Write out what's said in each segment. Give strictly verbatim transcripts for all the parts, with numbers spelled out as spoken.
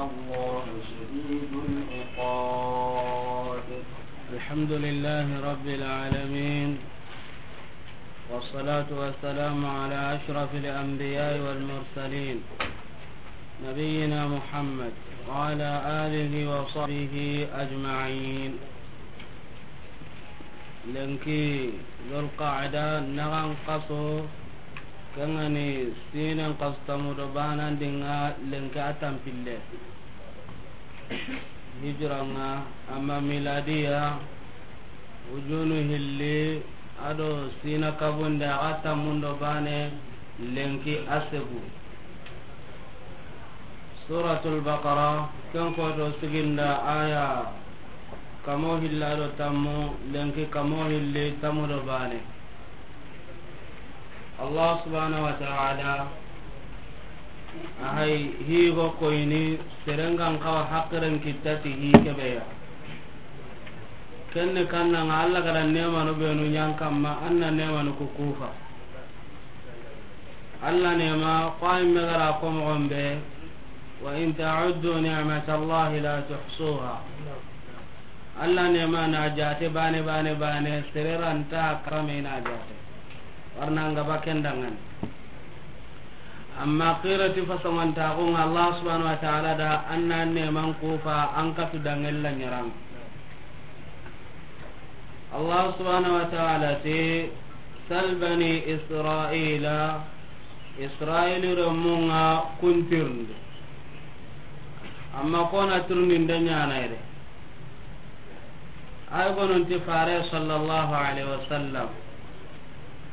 الله شديد العقاب. الحمد لله رب العالمين، والصلاة والسلام على أشرف الأنبياء والمرسلين، نبينا محمد وعلى آله وصحبه أجمعين. Lenki Zulqaada naxan xaso, ken ga ni siinen xasu tanmu do baanandi ŋa, lenki a tanpille hijira ŋa, amma miladiya wujunu hilli a do siina kabunde a ga tanmun do baane, lenki a segu. Suratul Baqara, ken koto siginda aya kamo hilli a do tanmu, lenki kamo hilli tanmu do baane. Allah subhanahu wa ta'ala a hay higo koyini, seren ga n xawa haqiren kitta ti hi kebe ya. Kenne kanna ŋa, Allah ga da neemanu benu ɲa an kamma, an na neemanu ku kufa. Allah neema, ko a yi me ga ra ko moxo be, "Wa in ta'uddu ni'matallahi la tuhsuha." Allah neema na jaate baane, baane, baane, sere ra nta kame na jaate. Warna ŋa ba ken da ŋa ni. Amma qirati fasamantaxu ŋa, Allah subhanahu wa ta'ala da an na neeman kufa an katu dangella ɲaran. Allah subhanahu wa ta'ala ti, "Sal bani Israila," Israili remun ŋa kun tirindi. Amma ko na tirindinde ɲaana yere. Ay gonun ti fare sallallahu alaihi wasallam.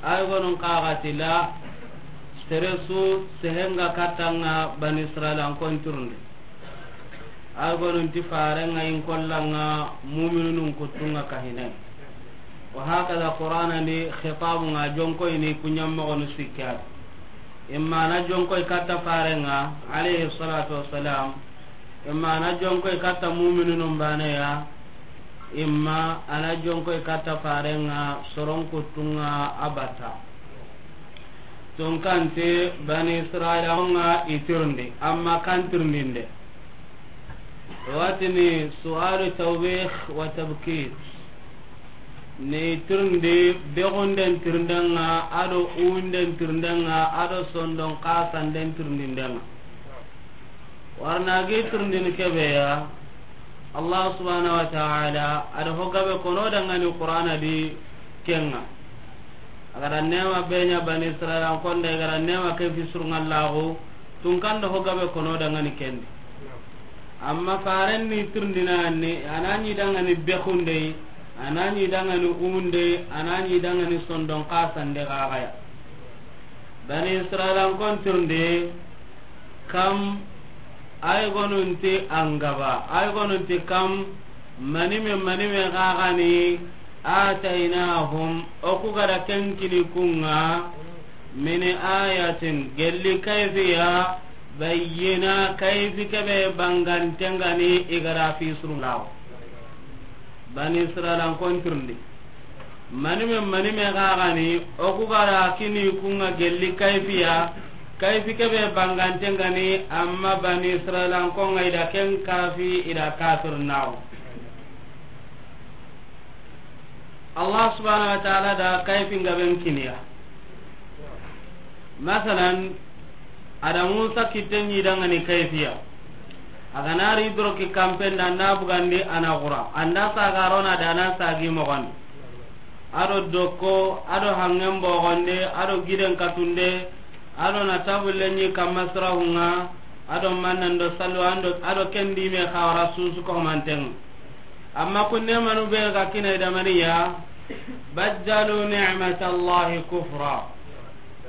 Ay gonun kaga ti la, sere su sehenga katta ŋa bani Israila n kon tirindi. Ay gonun ti fare ŋa in kolla ŋa mu'minun kuttu ŋa kahine. Wa hakada Qur'ana ni khitabu ŋa jonko ini kunyam moxonu sikka. Imma na jonko i katta fare ŋa, alayhi salatu wassalam. Imma a na jonko i katta mu'minun baane ya, imma a na jonko i katta fare ŋa soron kuttu ŋa a batta. Tunka nti bani Israila ŋa i tirindi, amma kan tirindinde. Watini su'alu tawbih wa tabkit. Ni tirindi, begunden tirinden ŋa, a do uwunden tirinden ŋa, a do sondon xasanden tirindinden ŋa. Warna gi tirindini kebe ya, Allah subhanahu wa ta'ala a da ho gabe kono dangani Qur'ana di ken ŋa. A ga da neema be ɲa bani Israila n konda, i ga da neema ke fi surunŋa laxu, tunka n da ho gabe kono dangani ken di. Amma faren ni tirindina ni, a na ɲi dangani begunde, a na ɲi dangani uwunde, a na ɲi dangani sondon xasande xaxaya. Bani Israila n kon tirindi, kam, ay gonun ti an ga ba, ay gonun ti kam, manime, manime xaxani, ataynahum, o ku ga da ken kini kun ŋa, min ayatin, gelli kayfiya, bayyina, kayfi kebe banganten ga ni i ga da fi surunŋa laxu. Bani Israila n kon tirindi. Manime, manime xaxani, o ku ga da kini kun ŋa gelli kayfiya, kayfi kebe banganten ga ni, amma bani Israila n kon ŋa i da ken kafi, i da kafir naxu. Allah subhanahu wa ta'ala da kayfin gaben kiniya. Masalan, a da Musa kitten ɲi dangani kayfiya. A ga na ri doroki kampen da, a na bugandi, a na xura. A nda saga rona da, a na sagi moxondi. A do dokko, a do hangen bogonde, a do giden katunde, a do na tabulle ɲi kamma sirahun ŋa, a do mannen do sallu, a do, a do ken di me xawara susu ko manten. Amma kun neemanu be ga kini i da maniya, baddalu ni'matallahi kufra.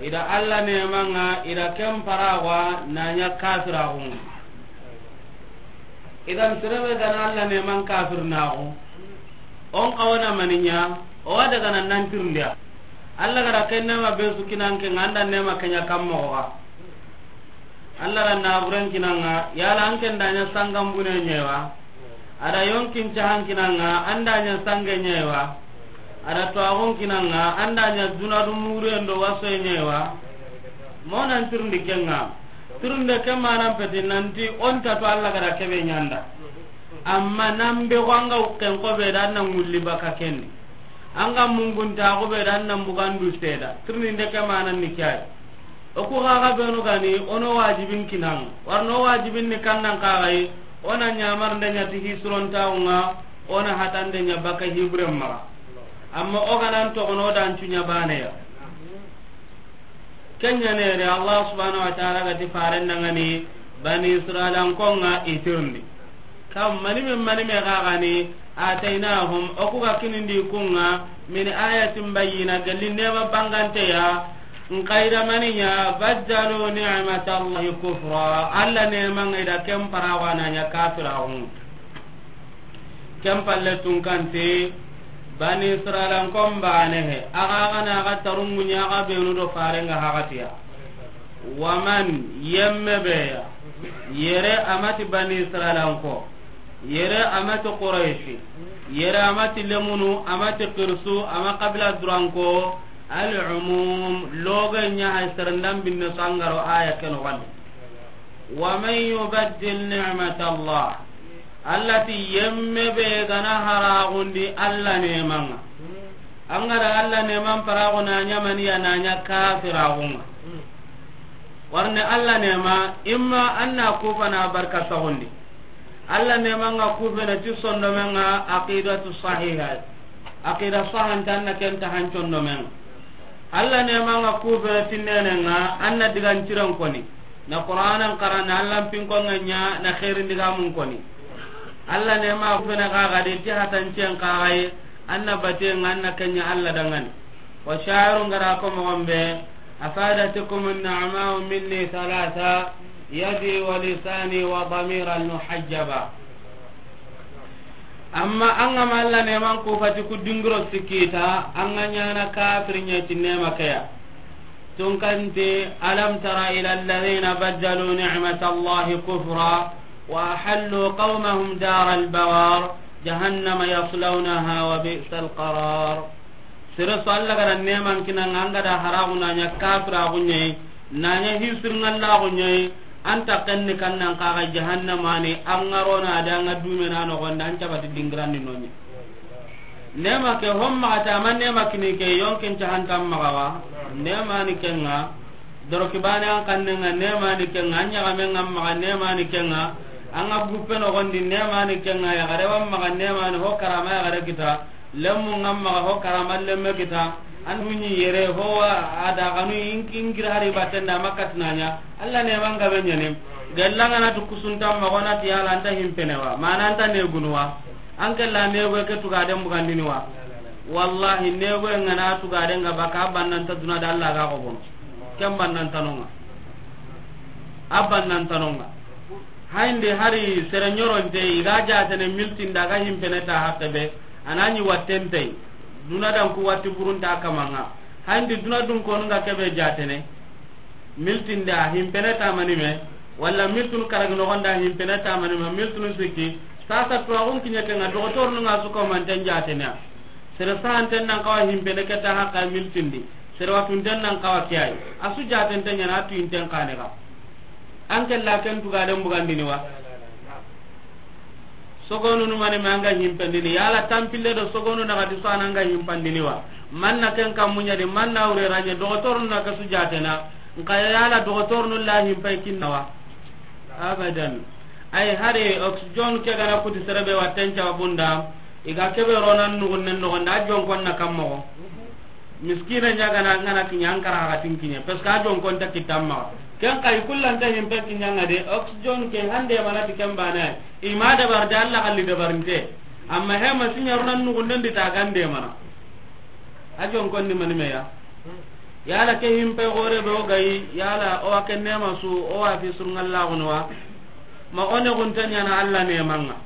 I da Allah neeman ŋa, i da ken paraxu na ɲa kafiraxun ŋa. Idan, sere be ga na Allah neeman kafir naxu, o n xawa na mani ɲa, o wa daga na nan tirindi ya. Allah ga da ken neema be su kini an ke ŋa, an da neema ke ɲa kan moxo ga. Allah da naburen kini an ŋa, yala an ke n da ɲa sangan bune ɲa yi wa? A da yonkin cahan kini an ŋa, an da ɲa sange ɲa yi wa? A da tuwaxun kini an ŋa, an da ɲa duna du muruyen do wasoye ɲa yi wa? Mo nan tirindi ken ŋa. Tirinde ke manan peti nanti o nta tu Alla ga da kebe ɲa an da. Amma nan be ko an ga wukken ko be da na ŋulli baka ken di. An ga mungun ta ko be da na bugandu seda. Tirinde ke manan ni ke yi. O ku xa xa benu ga ni o no wajibin kinan. Warno wajibin ni kannan xa ga yi. O na ɲamar nda ɲa ti hisuron ta ŋa. O na hatan nda ɲa baka hiburen maxa. Amma o ga nan toxo no dan cu ɲa baneya. Ken ɲa ne re, Allah subhanahu wa ta'ala ga ti faren da ŋa ni Bani Israilankon ŋa i tirindi. Kam mani me, mani me xa ga ni, ataynahum, o ku ga kinindi kun ŋa, min ayatin bayyina, gelli nema bangante ya. Nxa i da mani ɲa? Baddalu ni'matallahi kufra, Alla neman ŋa i da ken paraxu na ɲa kafiraxun. Ken palle tunkante, Bani Israilankon bane he, a ga ga na ga tarungu ɲa ga benu do faren ga haqatiya. Waman, yemme be ya, yere a ma ti Bani Israilanko, yere a ma ti Quraishi, yere a ma ti lemunu, a ma ti kirsu, a ma kabila duranko, al umum, loge ɲa hay serendan binne sangaro aya ken wal. Waman yubaddil ni'matallah, Alla ti yemme be ga na haraxundi Alla neman ŋa. An ga da Alla neman paraxu na ɲa mani ya, na ɲa kafiraxun ŋa. Warne Alla nema, imma an na kufa na barka saxundi. Alla neman ŋa kufene ti sondomen ŋa aqidatu sahiha. Aqida sahantan na ken ta hancondomen ŋa. Alla neman ŋa kufene ti nenen ŋa, an na digan ciren koni. Na Qur'anan xara, na Allan pinkon ŋa ɲa, na xeerin digamun koni. Alla nema fene xa ga di ti hatancen xa ga yi, an na baten ŋa, an na ken ɲa Alla da ŋa ni. Wa sha'irun ga da ko moxon be, afadatkum an-na'ma'u minni thalatha, yadi wa lisani wa damiran muhajjaba. Amma an ga ma Alla neman kufati ku dingiro sikki ta, an ga ɲaana kafiri ɲa ti nema ke ya. Tunkante, alam tara ila alladhina baddalu ni'matallahi kufra wa ahallu qawmahum daral bawar jahannama yaslawnaha wa bi'sal qarar. Sere su Alla ga da neman kinan ŋa, an ga da haraxu na ɲa kafiraxu ɲa yi, na ɲa hisirŋallaxu ɲa yi, an ta ken ni kannan xa ga jahannama ni, an ŋa ro na da an ŋa dumena noxon di, an cabati dingirandi no ɲa. Nema ke hon maxa ta, a ma nema kini ke yonkin cahantan maxa wa, nema ni ken ŋa. Doroki bane an kannen ŋa, nema ni ken ŋa. An ɲaxamen ŋa maxa, nema ni ken ŋa. An ŋa guppe noxon di, nema ni ken ŋa. Yaxare wa maxa, nema ni ho karama yaxare kita. Lemmu ŋa maxa ho karama lemme kita. An huɲi yere ho wa a da xanu in-, ingira hari batten da ma katina ɲa. Alla neman ga be ɲa ni. Gella ŋa na tu kusuntan maxa, o na ti yala an ta himpene wa, mana an ta negunu wa. An ke la negoye ke tugaden bugandini wa. Wallahi negoye ŋa na tugaden ŋa baka, a bannanta duna da Alla ga xobono. Ken bannantanon ŋa. A bannantanon ŋa. Hayndi hari sere ɲoronte i ga jatene miltinda ga himpene ta hakke be, a na ɲi wattentey. Duna dan ku watti burunta kaman ŋa. Hayndi duna dun konu ŋa kebe jatene. Miltinda himpene tamani me, walla miltunu karagi noxonda himpene tamani me, miltunu sikki. Sasa tuwaxun kiɲe ke ŋa, doxotorunu ŋa su ko manten jatene. Sere sahanten nan xawa himpene ke ta haqa miltindi. Sere watunten nan xawa ke yi. A su jatente ɲa na, a tuyinten xane xa. An ke la ken tugaden bugandini wa. Sogonunu mani ma an ga himpandini, yala tampille do sogonu na gadi so an ga himpandini wa. Manna ken kammu ɲa di, manna wure ra ɲa, doxotorunu na ke su jatena. Nxa yala doxotorunu la himpay kinna wa. Abadan. Ay hari oxygen ke ga na kuti sere be watten ca bunda. I ga kebe ronan nugunnen noxon da, a jonkon na kammo. Miskina ɲa ga na, ŋa na kiɲa, an kara ga tin kiɲe, parce que a jonkon ta kitan maxa. Ken xa i kullan ta himpe kiɲa ŋa de, oxygen ke hande mana ti ken bana. I ma dabar de, Alla xalli dabarinte. Amma he ma siɲa ronan nugunden di ta gande mana. A jonkon ni mani me ya. Yala ke himpe gore be o ga yi, yala o wa ke nema su, o wa fi surŋalla gono wa. Ma o ne gunta ɲana Alla neman ŋa.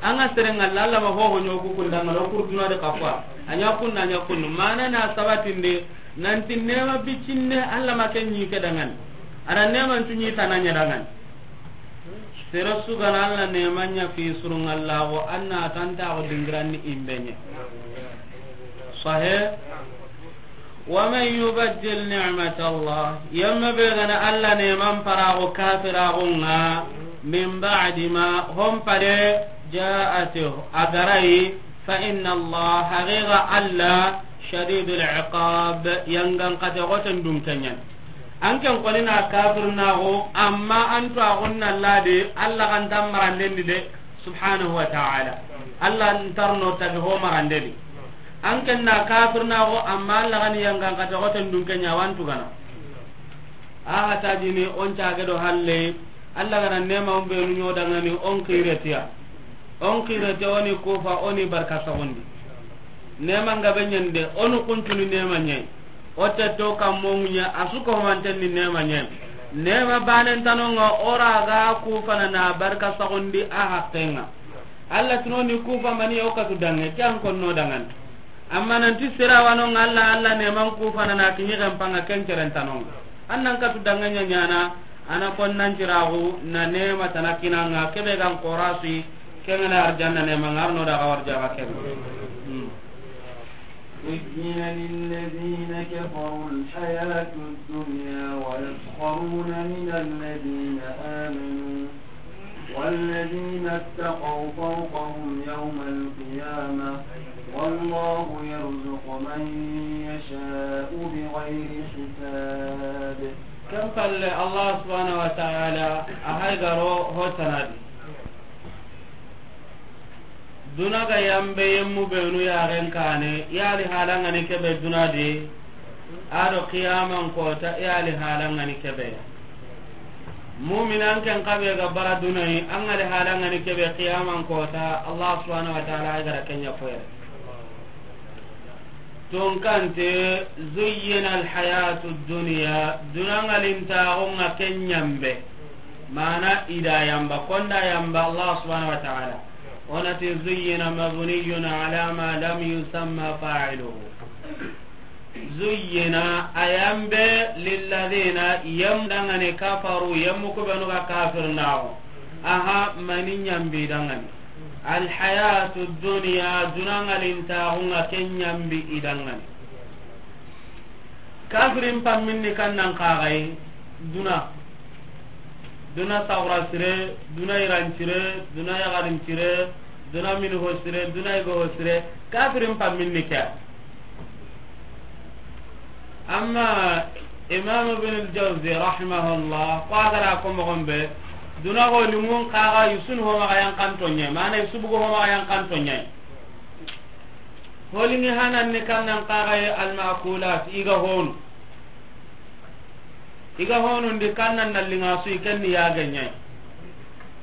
An ga sere ŋalla, Alla ma hoho ɲo ku kunda ŋa lo kurduna de kafa. A ɲa kunna, a ɲa kunnu. Mana na sabatinde, nanti nema bicinne, Alla ma ken ɲi ke dangan. A da neman cu ɲi tana ɲa dangan. Sere su ga na Alla neman ɲa fi surŋalla go, an na tanta go dingiranni imbe ɲa. Sahe. ومن يبدل نعمة الله, yemme be ga na Alla neeman paraxu kafiraxun ŋa, من بعد ما, hon pale, جاءته, a ga ri a yi, فإن الله, haqiqa Alla, شديد العقاب, yangan xate xoten dunke ɲa ni. An ken koni na kafirinaxu, amma an tuwaaxun na Alla di, Alla ga nta maranden di de, subhanahu wa ta'ala. Alla nta ro no tagi ho maranden di. An ken na kafirinaxu, amma Alla ga ni yangan xate xoten dunke ɲa, a wa an tugana. A xa ta jini, o n caage do halle, Alla ga na neema o n be nu ɲo dangani, o n xire ti a. O n xire ti a, o ni kufa, o ni barka saxundi. Neema n ga be ɲa ni de, o ni kuntunu neema ɲa yi. O te to kammo ŋuɲa, a su ko manten ni neema ɲa yi. Neema baanen tano ŋa, o ra ga kufana na barka saxundi a haqqen ŋa. Alla ti no ni kufa mani o katu danŋe, ke an konno dangani. Amma nanti sira wa no ŋa Alla, Alla neeman kufana na kiɲi xenpa ŋa ken ceren tano ŋa. An nan katu danŋe ɲa ɲaana, a na kon nan ciraxu, na neema tana kina ŋa, ke be ga n xorasi, ke ŋa na arjanna neema ŋa, a ro no da ga warja ga ken. Hmm. زين للذين كفروا الحياة الدنيا ويسخرون من الذين آمنوا والذين اتقوا فوقهم يوم القيامة والله يرزق من يشاء بغير حساب. Ken palle, Allah subhanahu wa ta'ala a hay ga ro ho tana di. Duna ga yanbe yemmu benu yaxen kaane, i ya li haala ŋa ni ke be duna di, a do qiyaman koota, i ya li haala ŋa ni ke be ya. Mu'minan ken xa be ga bara duna yi, a ŋa li haala ŋa ni ke be qiyaman koota, Allah subhanahu wa ta'ala a ga ra ken ɲa koyere. Tunkante, zuyyina alhayatu dunya, duna ŋa lintaaxu ŋa ken yanbe. Maana i da yanba, ko n da yanba Allah subhanahu wa ta'ala. O na ti, zuyyina mabniyun ala ma lam yusamma fa'iluhu. Zuyyina, a yanbe, lilladhina, yem dangani, kafaru, yemmu ku benu ga kafirinaxu. Aha, mani yanbi dangani. Alhayatu dunya, duna ŋa lintaaxu ŋa ken yanbi i dangani. Kafirin pamminni kannan kaxayi, duna. Duna saxura sire, duna iran cire, duna yaxarin cire, duna mini ho sire, duna igo ho sire, kafirin pamminni ke. Amma Imam Ibn al-Jawzi rahimahullah, ko a ga ra ko moxon be, duna ho limun kaxa yusunu ho maxa yankanto ɲa, maana yusubugo ho maxa yankanto ɲa. Ho linŋi hanan ni kannan kaxaye almakulat, i ga honu. I ga honun di kannan na linŋa su, i ken ni yage ɲa yi.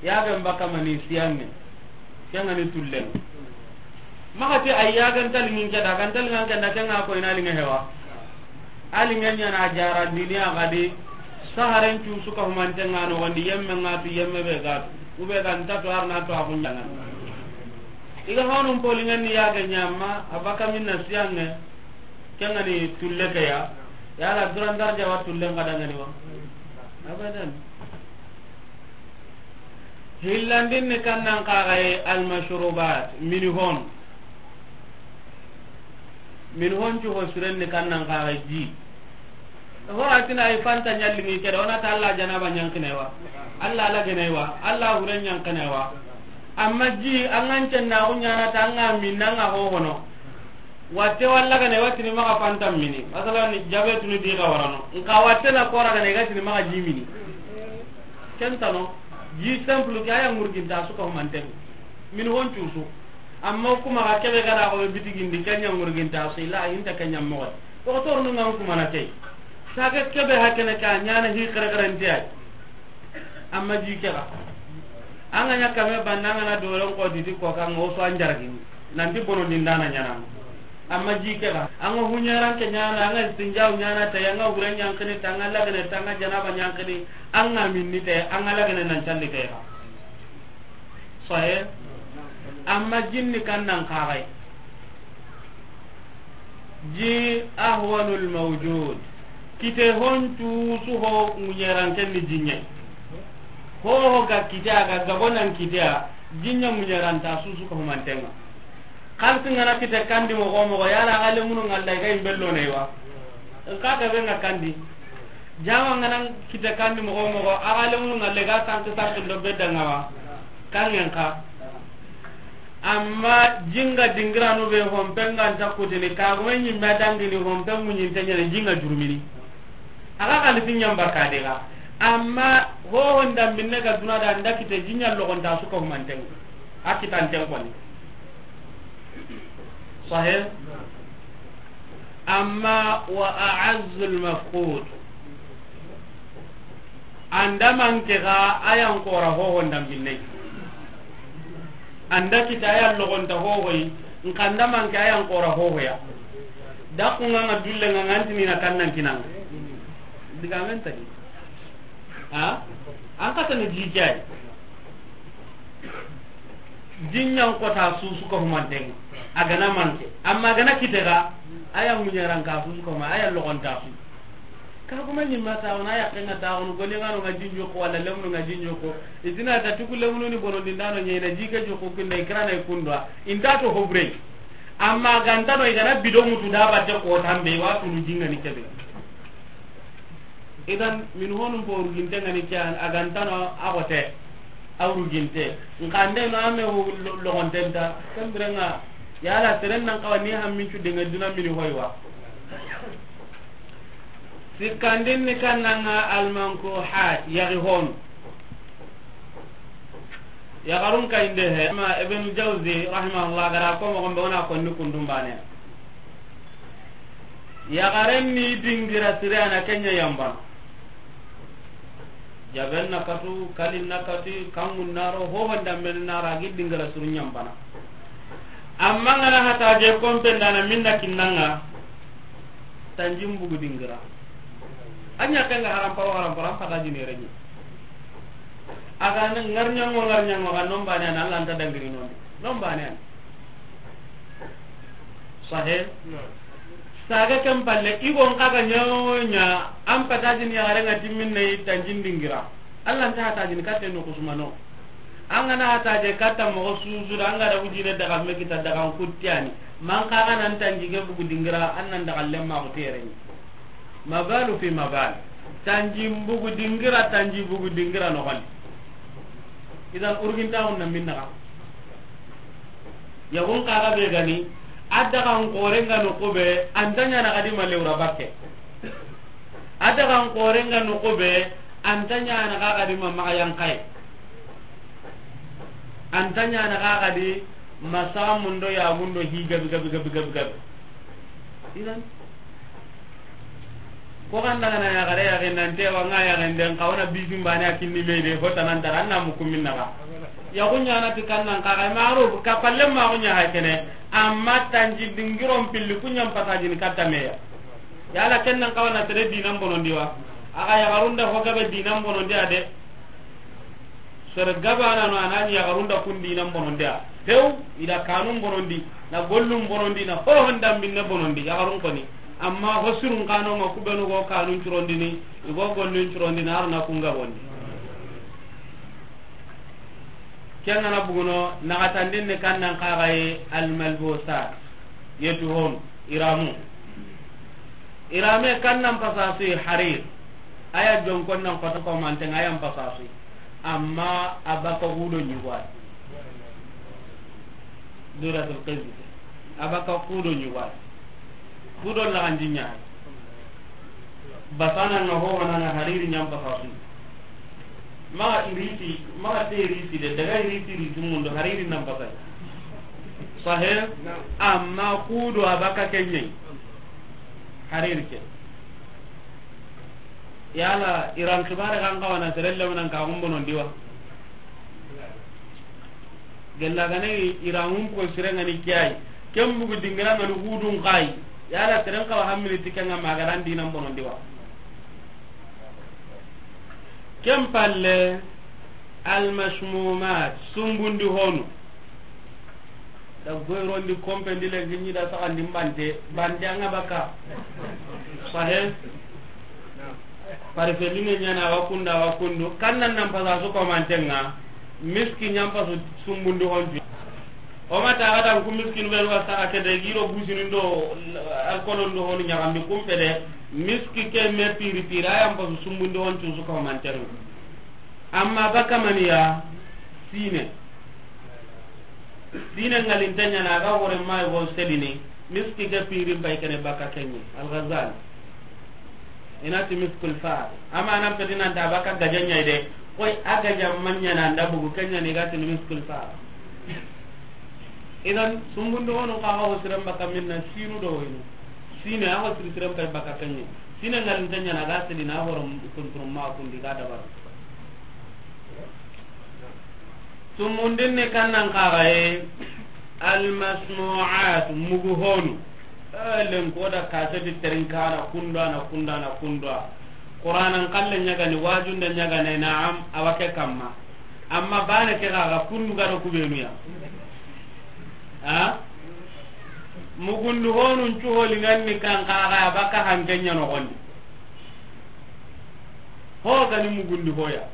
Yagen baka mani siyanŋe. Ken ŋa ni tullen. Maxa ti ay yagen ta linŋin ke da, kan ta linŋan ke da, ken ŋa ko i na linŋe hewa. A linŋe ɲa na jarandini a ga di, saharen cu su ka humanten ŋa noxon di, yemme ŋa tu, yemme be ga tu. Kube ga nta tu, har na tu a kun jangan. I ga honun polinŋen ni yage ɲa ma, a baka minna siyanŋe. Ken ŋa ni tulle ke ya. Yala duran darja wa tullen ga dangani wa? Abadan. Hillandin ni kannan kaxaye almashrubat, mini hon. Mini hon cu ho siren ni kannan kaxaye ji. Ho a ti na ay fanta ɲa linŋi ke da, o na ta Allah janaba ɲankinay wa? Allah lagene wa? Allah huren ɲankinay wa? Amma ji, an ga n cenna, o ɲaana ta, an ga minna, an ga ho hono. Watte walla gane, wa tini maxa fanta mini. Masalan, ni jabe tunu di ga warano. Nka watte na kora gane, ga tini maxa ji mini. Ken tano, ji simple ke, a ya ŋurginta su ka humanten. Mini hon cu su. Amma kuma ga kebe ga da ko bitigindi, ken ɲa ŋurginta su, ila inta ken ɲa moxo. Docteur nu ŋa kuma na ke. Saga kebe hakene ka ɲaana hi xerexerente ay. Amma ji ke ga. An ga ɲa kame banna, an ga na doron ko diti ko kan o so an jargi. Nanti bono dindana ɲaana. Amma ji ke ga. An ga huɲaran ke ɲaana, an ga istinjaw ɲaana, ta an ga huren ɲankinni, ta an ga lagene, ta an ga janaba ɲankinni, an ga minni, ta an ga lagene nan calli ke ga. Sahe. Amma jinni kannan kaxaye. Ji ahwanul mawjud. Kite hon cu su ho ŋuɲeran ken ni ji ɲa yi. Ho ho ga kite a ga gabo nan kite a, ji ɲa ŋuɲeranta su su ka humanten ŋa. Xalsi ŋa na kite kandi moxo moxo, yala a ga lemunu ŋalla i ga yimbello ne wa? Nka ga be nga kandi. Jama nga nan kite kandi moxo moxo, a ga lemunu nga le ga sanki sanki ndo be da nga wa. Kangen ka. Amma jinga dingiranu be hompe nga nta kutini, ka gume ɲimme dangini hompe muɲinte ɲene jinga jurumini. A ga xalisi ɲamba ka de ga. Amma hoho ndambinne ga duna da nda kite jinya logonta su ko humanten. A kitanten koni. Sahih. Amma wa a'azzul mafqud. Anda manke ga ayan kora hoho ndambinne. Anda kita ayan logonta hohoyi. Nkanda manke ayan kora hohoya. Dakunga nga dulle nga ngantini na kannan kinanga. Diga men tadi. Ha? An kata ni jikay. Jinyan kota susu ko humanten. A gana manke. Amma gana kitega. Aya munyaran ka susu ko ma. Aya logonta su. Ka kuma ni mata ona ya kenga ta on gole ngano nga jinjo ko wala lemnu nga jinjo ko. Itina ta tuku lemnu ni bono dindano nyena jike jo ko kinda ikrana ikundwa. Inta to hobre. Amma gantano igana bido mutu da batte ko tambe wa tunu jinga ni kebe. Idan min honum bo urginte ngani ke an, a gantano a xote, a urginte. Nkande no ame wo lo-, logontenta, kembirenga, yala seren nan kawa ni hammincu denga duna mini hoywa. Sikkandin ni kannanga almankuhat, yagi honu. Yaxarun kayinde he, ma Ibn Jawzi, rahimahullah, gara ko moxon be wona konni kundum bane. Yaxaren ni dingira sire ana kenya yambana. Jaben na katu, kalin na katu, kangun naro, hohon damben nara, gi dingira suru yambana. Amma ngana hata je kompe ndana minna kinnanga, tanjim bugu dingira. Anya kenga haram paro, haram paro, am pata jini renyi. Aga na ngarnyango, ngarnyango, ga nombane an, Allah nta dangiri nondi. Nombane an. Sahih? Saga ken palle, igon kaga nyawo nya, an pata jini yaxaren ga timminne tanjin dingira. Allah nta hata jini katte no kusumano. An gana hata je katta moxo susu da, an ga da wujine daga me kita daga kuttiyani. Man kaga nan tanji ge bugu dingira, an nan daga lemma ko tereni. Mabalu fi mabal. Tanji bugu dingira, tanji bugu dingira no gal. Idan urginta on na minna. Yagun kaga be gani, a daga an korenga no kobe, antanya na kadi ma lewra bakke. A daga an korenga no kobe, antanya na kaga di ma maga yankai. Antanya na kaga di masamundo ya mundo hi gabi gabi gabi gabi gabi. Idan ko kan daga na yaxare yaxen nan te wa nga yaxen den kawana bisin bane a kinni me de, fo tanan dara na mukumin naga. Yaxun ɲana ti kannan kaga maro ka palle ma ko ɲa hakene. Amma tanji dingiron pilli kunyan pata jini katta meya. Yala kennan kawana tere dinan bonondi wa. Aga yaxarun da ho gabe dinan bonondi ade. Sere gabana no anani yaxarun da kun dinan bonondi a. Tew, ida kanun bonondi, na gollun bonondi, na hohon dambinne bonondi, yaxarun koni. Amma ho sirun kano ma kubenu go kanun curondini, igo gollun curondini, arna kun gabondi. Kengana buguno, naxatandin ni kannan kaxaye almalbosat, yetu honu, iramu. Irame kannan pasasuyi harir, aya jonkon nan kota komanten, ayan pasasuyi. Amma a baka hudo ɲugo ay. Duratul qizzi. A baka hudo ɲugo ay. Hudo laxandi ɲa. Basana nga ho wana nga hariri ɲam baka su. Ma iriti, ma te iriti de, daga iriti iriti mundo hariri nan baka. Sahe, amma hudo a baka kenye. Hariri ke. Yala, iran kibare kan kawana serelle manan ka gumbonon diwa. Gella gane iran hum ko sirengani kiyai. Ken bugu dingira ngani hudun kai. Yala, seren kawa hammini tikenga magaran dinan bonon diwa. Ken palle, almashmumat, sumbundi honu. Da goyrondi kompendi lenki ɲi da saxandi mbante, mbante anga baka. Sahe. Parife linge ɲana wa kunda wa kundu. Kannan nan pasa su komantenga. Miski ɲam pasu sumbundi honti. O ma taga dan ku miskinu be wa saxa ke de giro busini ndo alkolon do honu ɲaxambi kumpe de. Miski ke me piri piri, a yan pasu sumbundi hon cusu ko manteru. Amma baka maniya, sine. Sine ngalinte ɲa na ga hore ma go selini, miski ke pirin pay kene baka kenye. Al-Ghazali. Ina ti miskul far. Amma nan peti nan ta baka gaja ɲa de. Koy a gaja manya na nda bugu kenya ni ga ti miskul far. Idan, sumbundi honu ka ga ho siren baka minna sinu do waynu. Sine, a ho siri siren pay baka kenye. Sine ngalinte ɲa na ga sidi na horo kunturum ma kundi ga dabar. Sumundin ni kannan kagaye, almasnu'at, mugu honu. Eh, len ko da kaseti terinkana kundana, kundana, kundana. Qur'anan kalle ɲagani, wajunda ɲagane, na'am, awake kamma. Amma bane ke gaga kundu gado kubenuya. Ha? Mugundu honun cuholi nganni kan kaga baka hankenya no gondi. Ho gani mugundi hoya.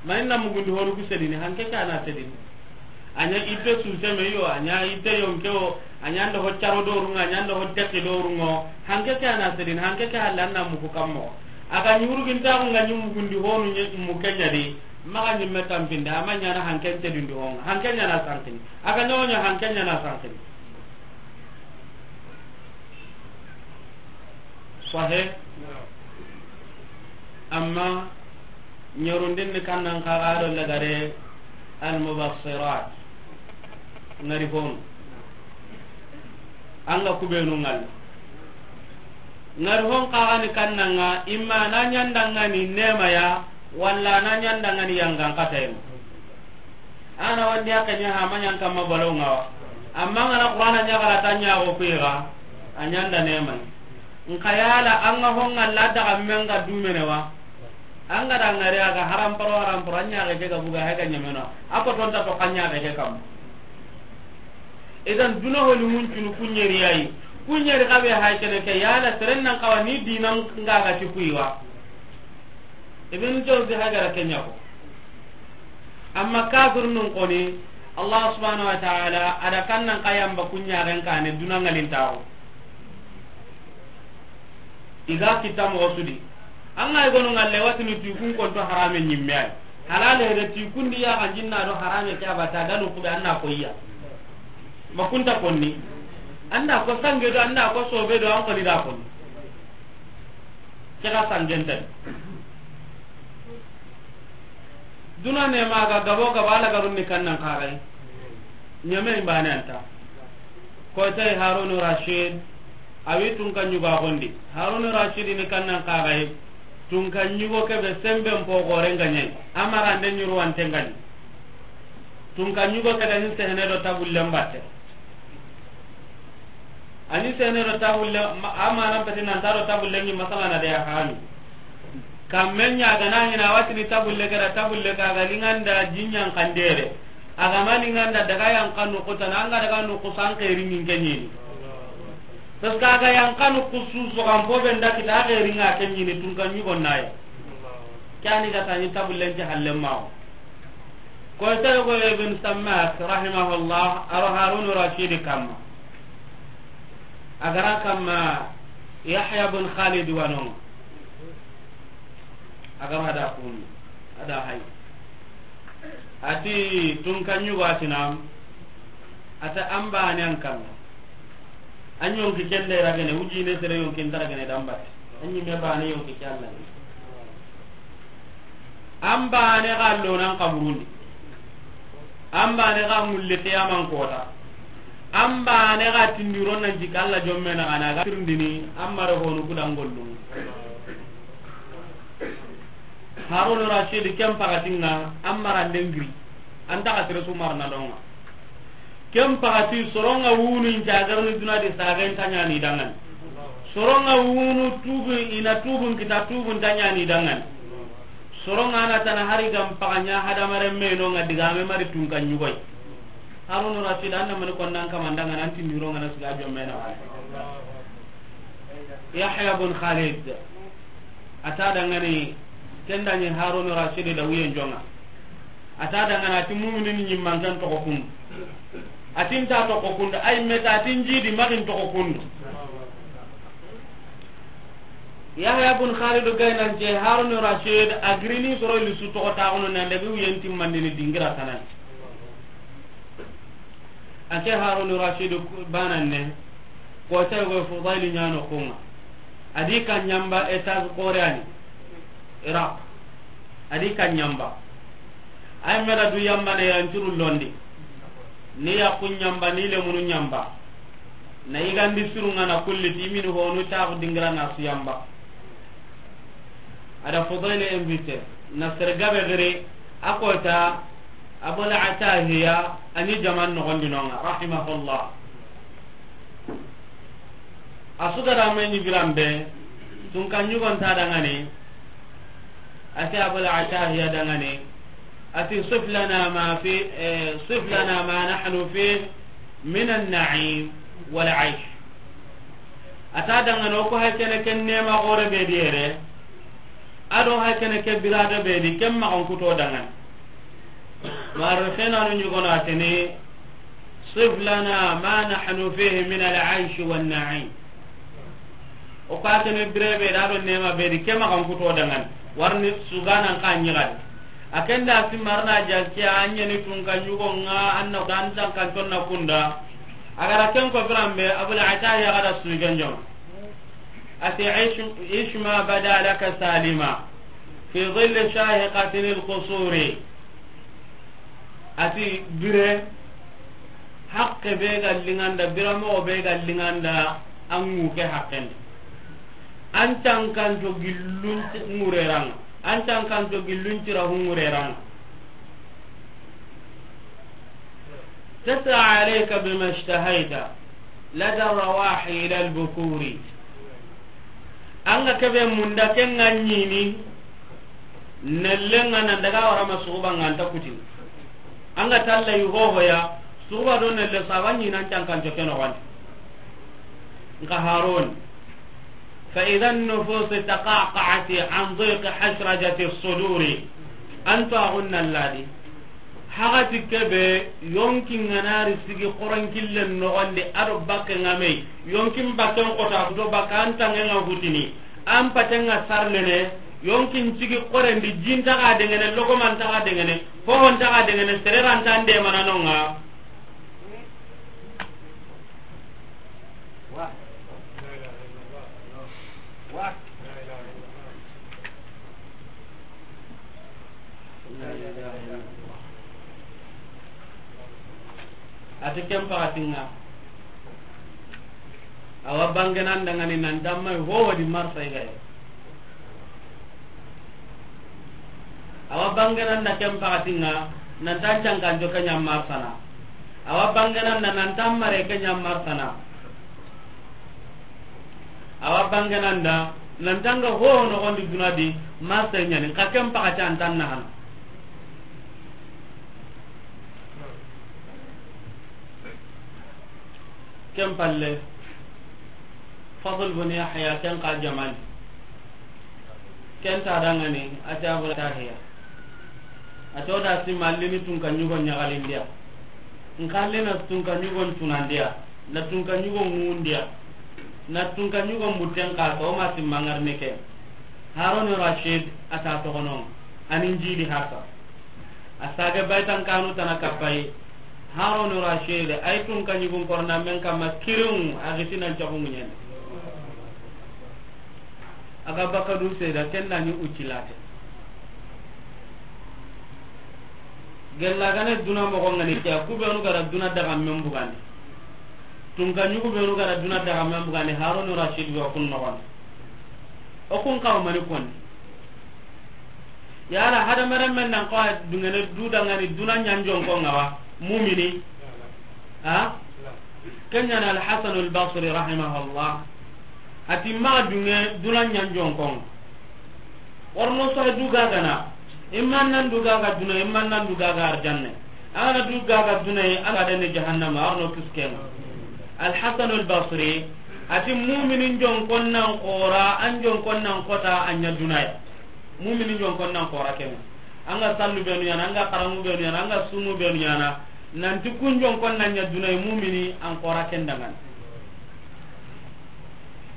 Ma inna mugundi honu ku sedini, hanke ke ana sedini. A ɲa itte suseme yo, a ɲa itte yonke o, a ɲa nda ho caro dorunga, a ɲa nda ho tekki dorungo. Hanke ke ana sedini, hanke ke halla anna mugu kammo. A ga ɲurugintaxu nga ɲi mugundi honu ɲe-, mu keɲa di, maxa ɲimme tampinde, ama ɲana hanken tedindi honga. Hanke ɲana sankini. A ga ɲogo ɲa hanke ɲana sankini. Sahe. Amma ɲorundin ni kannan kaga do lagare almubassirat. Ngari hon. Anga kubenu ngal. Ngari hon kaga ni kannanga, imma na ɲandanga ni nema ya, walla na ɲandanga ni yangan katayma. Ana wandi haka ɲa ha manyan kamma balonga wa. Amma ngana Qur'ana ɲa gara tanya go kuiga, a ɲanda nema. Nka yala anga honga la daga menga dumene wa. Anga da ngari aga haram paro, haram paro, anya ga ke ga buga he ga ɲamena. Ako tonta to kanya ga ke kam. Idan duna holi mun tunu kunyeri yayi. Kunyeri kabe hay kene ke yala seren nan kawa ni dinan nga ga ti kuiwa. Ibn Jawzi hagara kenya ko. Amma kafir nun koni, Allah subhanahu wa ta'ala, ada kannan kayamba kunya ren kane duna ngalin tawo. Iga kita mo sudi. Anga igonu ngalle watini tu kun konto harame nyimme ay. Halale re ti kundi ya kan jinna do harame ke abata ganu kube anna ko iya. Ma kunta konni. Anda ko sange do, anda ko sobe do, an ko ni da konni. Ke ga sangen tan. Duna ne ma ga gabo gaba la garun ni kannan kagai. Nyame imbane anta. Ko tay Harun Rashid, awi tunka nyugo gondi. Harun Rashid ni kannan kagai. Tunka nyugo ke be semben po gore nganyai. Amara nde nyuru wante ngani. Tunka nyugo ke da ni sehne do tabulle mbatte. Ani sene do tabulle, ma-, amana peti nan ta do tabulle ni masala na de ya kanu. Kamme ɲa gana hina watini tabulle kera tabulle ka ga linganda jinyan kandere. Aga ma linganda daga yan kanu kutana anga daga nu kusan keri min kenyini. Parce que aga yan kanu kusu so kan po benda kita keri nga kenyini tunka nyugo naye. Kani ga tani tabulle nti halle mawo. Ko tayo ko Ibn Sammak rahimahullah, aro Harun Rashid kamma. Agara kamma Yahya bin Khalid wanon. Agara da kun, ada hay. Ati tunka nyugo atina, ata amba ne an kamma. An yonki kende ragene, uji ne sere yonki nta ragene dambat. An yi me bane yonki ke Allah. An bane ga lo nan kaburundi. An bane ga mulle qiyaman kota. An bane ga tindiro nan jika Allah jomme na gana ga tirindini, an mare honu kudan gollu. Harun Rashid ken pakatinga, an mara ndengri. An ta ga tire su marna donga. Ken pagati soronga wunu inta garni duna di sagen tanyani dangan. Soronga wunu tubu ina tubun kita tubun tanyani dangan. Soronga na tana hari gam paganya hadamare meno nga digame mari tunka nyugoi. Harun Rashid anna mani konnan kamandanga nanti nironga na siga jommena. Yahya bin Khalid. Ata dangani kendani Harun Rashid da wiyen jonga. Ata dangana ati muminin ni nyimman kan to ko kun. Atin ta to ko kun ay meta atin jidi magin to ko kun. Yahya bun Khalid Gaynance, Harun Rashid, a girini soro lisu toxo taxunu nan daga wuyen timmandini dingira tanani. A ke Harun Rashid banan ne, ko ta go Fudail ɲano kunga. A di kan ɲamba étage koreani, Iraq. A di kan ɲamba. Ay meda du yamba ne yan turu londi. Ni ya kun ɲamba, ni le munu ɲamba. Na igandi surunga na kulli ti mini honu ta dingira na su yamba. A da Fudail invité, na sergabe gere, a kota, Abul Atahiya, ani jaman nogondi nonga, rahimahullah. A su gara me ɲi birambe, tun kan ɲugon ta dangane, a ti Abul Atahiya dangane, a ti, "Sif lana ma fi, eh, sif lana ma nahnu fi min an-na'im wal aish." A ta dangane o ko hay kene ken nema gore be di yere. A do hay kene ke birada be di, ken maxan kuto dangane. Mu'arrikhina nu ɲugono a tini, "Sif lana ma nahnu fihi min al-aish wan na'im." O ka tene birebe da do nema be di, ke maxan kuto dangane. Warni suganan ka ɲigadi. A kenda si marna jalki a ɲeni tun ka ɲugo nga anna dan tan kan tonna kunda. A gara ken ko birambe Abul Atahiya gara sugen jom. A ti, "Ish, ish ma bada laka salima, fi dhilli shahiqatin al-qusuri." A ti, bire, haqqe be ga linganda, biramoxo be ga linganda, an ŋu ke haqqendi. An tankanto gillun ŋureranga, an tankanto gillun cira hu ŋureranga. تسعى عليك بما اشتهيت لدى الرواح إلى البكور. Anga kebe munda kenga ɲini, nelle nga nan daga wara ma suguba nga anta kutini. Anga talla yi hohoya, suguba do nelle saba ɲini an cankanco ke noxondi. Nka Harun. فإذا النفوس تقعقعت عن ضيق حشرجة الصدور. Anto agunna ladi. Hagati kebe yonki nganari sigi koran killen noxondi ado bakke ngamei. Yonkin bakken kota do bakka an tangen nga hutini. An paten nga sarlene. Yonkin sigi korendi jintaga dengene, logomantaga dengene, hohontaga dengene, sererantan de mananonga. Ati ken pakatinga. Awa bangenan dangani nan damma ho wadi marsa igaye. Awa bangenan da ken pakatinga nan tan cankanco ke ɲa marsana. Awa bangenan da nan tan mare ke ɲa marsana. Awa bangenan da nan tanga ho noxondi duna di marsa ɲani ka ken pakati an tan nahana. Ken palle, Fadl bin Yahya, ken ka jamani. Ken ta dangani, a ti Abul Atahiya. A ti o da si mallini tunka ɲugo ɲagalindiya. Nkallina tunka ɲugo tunandiya. Na tunka ɲugo ŋundiya. Na tunka ɲugo mbutten ka, ka o ma si mangarni ke. Harun Rashid a ta togono. Anin jidi hasa. A sage baytan kanu tana kapai. Harun Rashid, ay tunka ɲugun korna men kama kirin, a gitinan cagu ɲen. A ga baka du seda, ken da ni ucilate. Gella gane duna mogo ngani ke, ku benu gara duna daga men bugandi. Tunka ɲugu benu gara duna daga men bugandi, Harun Rashid wa kun nogon. O kun kaw mani konni. Yala hadamaren men nan ko dungene du dangani duna ɲanjon ko ngawa mumini. Ha? Kenya na Al-Hasan Al-Basri rahimahullah. Ati ma dunge duna ɲanjon ko. Warno so du gagana. Imman nan du gaga duna, imman nan du gaga arjanne. Ana du gaga duna, ana dane jahannama, arno kisken. Al-Hasan Al-Basri. Ati muminin jon konnan qora, an jon konnan kota, anya dunaya. Mumini jon konnan kora kema. Anga sallu benu yana, anga karamu benu yana, anga sumu benu yana. Nanti kun jon konnan ɲa dunay mumini an kora kendangan.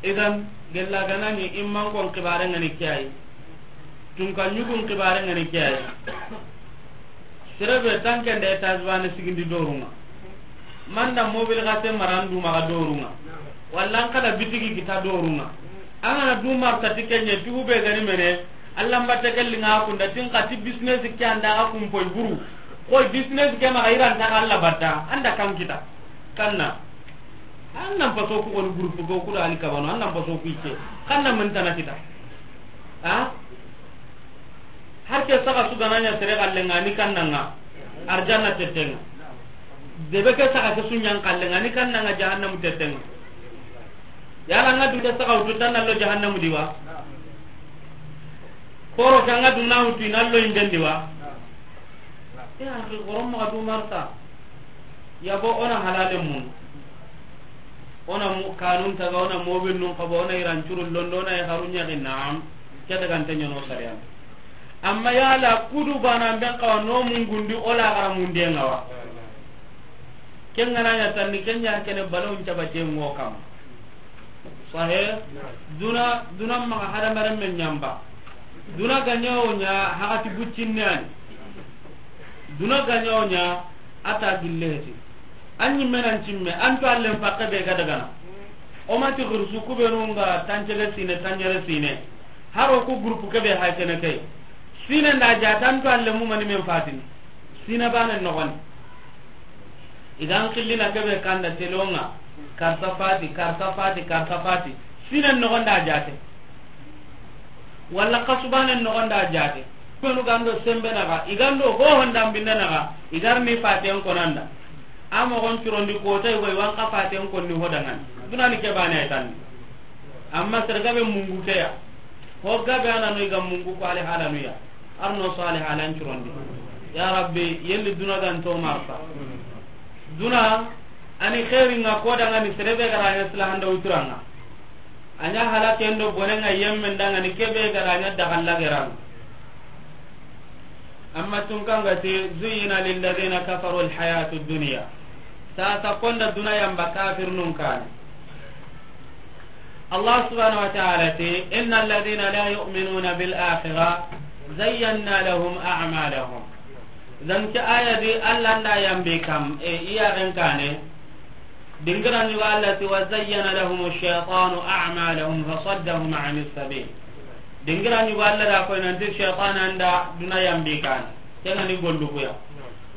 Idan, gella ga na ɲi imman kon xibaare ŋa ni ke yi. Tunka ɲugun xibaare ŋa ni ke yi. Sere be tanke nde étage baane sigindi doru ŋa. Manda mobile xase mara an du maxa doru ŋa. Walla an xada bitigi kita doru ŋa. An ga na du marta ti ke ɲa tugu be ga ni mene. Alla mbatte ke li ŋa kunda tin xa ti business ke an da ga kumpoy buru. Koy business ke maxa i ra nta xa Alla batta. An da kan kita. Kanna. An nan paso ku goni groupe go ku da ali kabano, an nan paso ku ice. Kanna mun tana kita. Ha? Har ke saga su ga na ɲa sere galle ŋa ni kanna ŋa. Arjanna tette ŋa. Debe ke saga ke su ɲa n galle ŋa ni kanna ŋa jahannamu tette ŋa. Yala ŋa du ke saga wutu tan na lo jahannamu di wa. Koro ka ŋa du na wutu na lo imbendi wa. Ya akhi, gorom maxa du marta. Yabo, o na halale mun. O na mu-, kanun taga, o na mobile nun xaba, o na iran curun londo, o na i xaru ɲaxi, naam. Ke daga nte ɲono sariyan. Amma yala kudu bana ben xawa no mungundi o la xara munde ŋa wa. Ken ga na ɲa tanni, ken ɲa kene balon cabate ŋo kam. Sahe, duna, duna maxa hadamaren men ɲamba. Duna ga ɲa o ɲa, haxati buccinne ani. Duna ga ɲa o ɲa, a ta gille heti. An ɲi menan cimme, an to allen pakke be ga dagana. O ma ti xursu ku be nu ŋa tancege sine, tancere sine. Haro ku groupe ke be ha kene ke. Sine nda ja tan to alle mu mani men fatini. Sine bane noxon. Idan xillina kebe kanda telonga, karsa fati, karsa fati, karsa fati. Sinen nogonda jate. Walla kasubane nogonda jate. Kunu gando sembe naga, igando ho honda mbinne naga, igar ni faten konanda. Amo gon curondi kota igo iwan ka faten konni hodangan. Dunani kebane ay tanni. Amma sergabe mungu keya. Ho gabe ana no iga mungu ko ale hala nuya. Arno so ale halan curondi. Ya Rabbi, yelli duna gan to marsa. Duna, ani khairin nga ko daga ni serebe gara ya sila handa uturanga. Anya halake ndo bonenga yemmen daga ni kebe gara nya dagalla gerang. Amma tun kanga te, zuyyina lilladhina kafaru alhayatu dunya. Sasa konda duna yamba kafir nun kane. Allah subhanahu wa ta'ala ti, "Inna alladhina la yu'minuna bil akhirah zayyana lahum a'malahum." Dan ke aya di Allah nda yambe kam, e, iya ren kane. Dingira ni wa Allah ti, "Wa zayyana lahum ash-shaytanu a'malahum fa saddahum 'anis sabil." Dingira ni wa Allah da ko nanti shaytan anda duna yambe kan. Kena ni gollu kuya.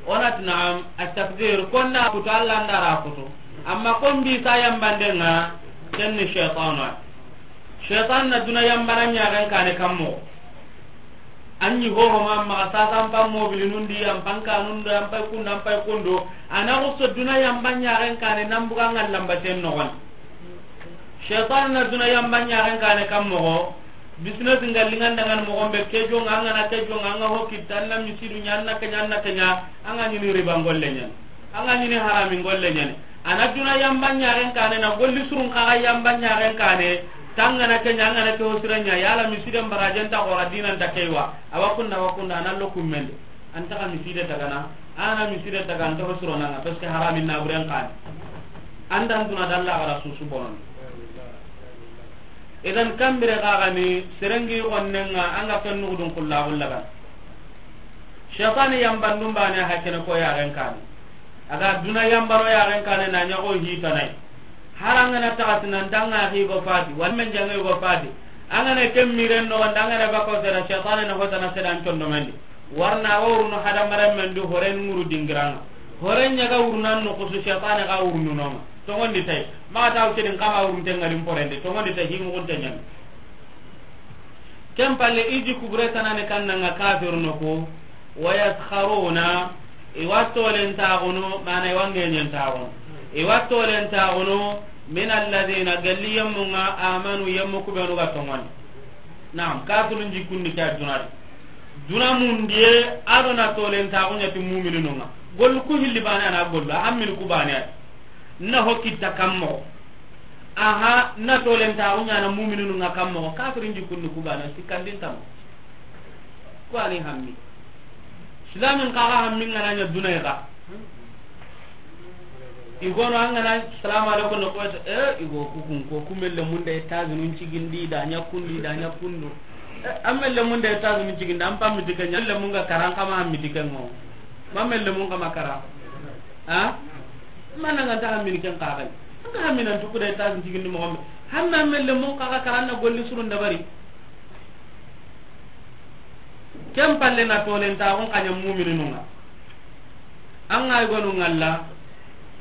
Onat na'am, at-takdir, konna kutu Allah nda ra kutu. Amma kon bi sa yambande nga, ken ni shaytanu. Shaytan na duna yambana ɲaxen kane kammo. Anyi hoho ma maxa sasa an pa mobili nundi, an pa kanun do, an pa kunda, an pa kundo. Ana xuso duna yamba ɲaxen kane nan buga ngal lamba ten noxon. Shaytan na duna yamba ɲaxen kane kammo. Business nga lingan dangan moxon be ke jonga, an ga na ke jonga, an ga ho kitta, an na misidu ɲa, an na ke ɲa, an na ke ɲa, an ga ɲini riba ngolle ɲa. An ga ɲini harami ngolle ɲa. Ana duna yamba ɲaxen kane na golli surun kaga yamba ɲaxen kane. Tangana ke ɲa, an ga na ke hosira ɲa, yala misiden barajen ta xora dinan ta keiwa. Awa kunda, awa kunda, ana lo kummende. An taxa miside tagana, ana miside taga, an taxa suronanga, parce que haramin na buren kane. Andan duna dalla gara susu bonon. Idan kambire kaga ni serengi gonnenga, anga ken nugudun kulla kulla kan. Shaytani yambandum bane hakene ko yaren kane. Aga duna yambaro yaren kane na ɲago hitanai. Harangana taxati nan danga higo fati, wala men janga higo fati. Angana ken miren no, angana bako sera, shaytani na hotana sedan condomendi. Warna wa wurno hadamaren men du horen nguru dingiranga. Horen ɲaga wurnan no kusu shaytani ga wurnu nonga. Tongondi tay. Ma taw cedin kama wurun tengarin porende. Tongondi tay himu kun tenyan. Ken palle iji kubure tanane kannanga kafir no ko. Wa yaskharuna, iwa tolen taxunu, mana iwa ngenyen taxunu. Iwa tolen taxunu, min alladhina, galli yemmunga, amanu, yemmu kubenu ga tongoni. Naam, kafirun jikkundi ke a dunadi. Duna mundiye, ado na tolen taxu ɲati muminununga. Gollu ku hilli bane ana gollu, a hammini ku bane ay. Na ho kitta kammo. Aha, na tolen taxu ɲana muminununga kammo. Kafirin jikkundi ku bane, sikkandin tammo. Ku ani hammi. Islamin kaga hammi ngana ɲa dunay ga. I gono an ga na salamu alaikum no ko, e, i go ku kun ko, ku melle mun da États-Unis cigindi da ɲa kundu, da ɲa kundu. E, an melle mun da États-Unis cigindi, an pammi di ke ɲa, melle mun ga kara, an kama hammi di ke ŋo. Ma melle mun kama kara. Ha? Ma na ga ta hammi ni ken ka ga. An ga hammi nan tuku da États-Unis cigindi mo gombe. Hamma melle mun ka ga kara na golli surun dabari. Ken palle na tolentaxun xa ɲa mumininu ŋa. An ga i gonu ŋalla,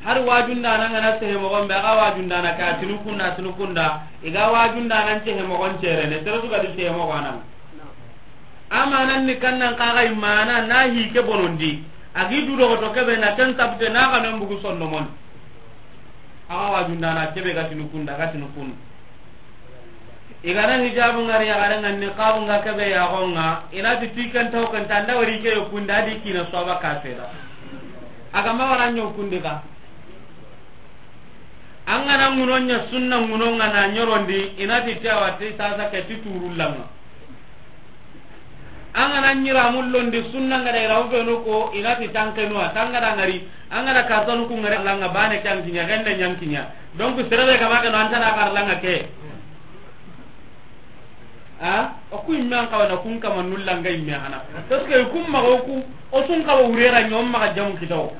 hari wajundana ga na sehe moxon be, a ga wajundana ka tinu kunda, tinu kunda, i ga wajundana n sehe moxon cerene, sere su ga di sehe moxo a na ŋa. Amanan ni kannan xa ga i mana na hi ke bonondi, a gi du doxoto kebe na ken sabte na xa men bugu sondomon. A ga wajundana kebe ga tinu kunda, ga tinu kunda. I ga na hijabu ŋari yaxare ŋa, niqabu ŋa kebe yaxo ŋa, i na ti ti ken taw ken ta nda wari ke yo kunda di kina soba ka seda. A ga ma wara ɲo kundi ka. An ga na ŋuno ɲa sunna ŋuno ŋa na ɲorondi, i na ti ti awa ti sasa ke ti turu langa. An ga na ɲira mullondi sunna ŋa da i ra u benu ko, i na ti tankenuwa, tanga da ŋari, an ga na kasanu ku ŋari langa bane kan kiɲa, gende ɲan kiɲa. Donc, serebe kama ke no an ta na kar langa ke. A, o ku imme an kawana kun kama nulla nga imme hana. Parce que kun maxa o ku, o sun kawa wurera ɲom maxa jamu kitawo.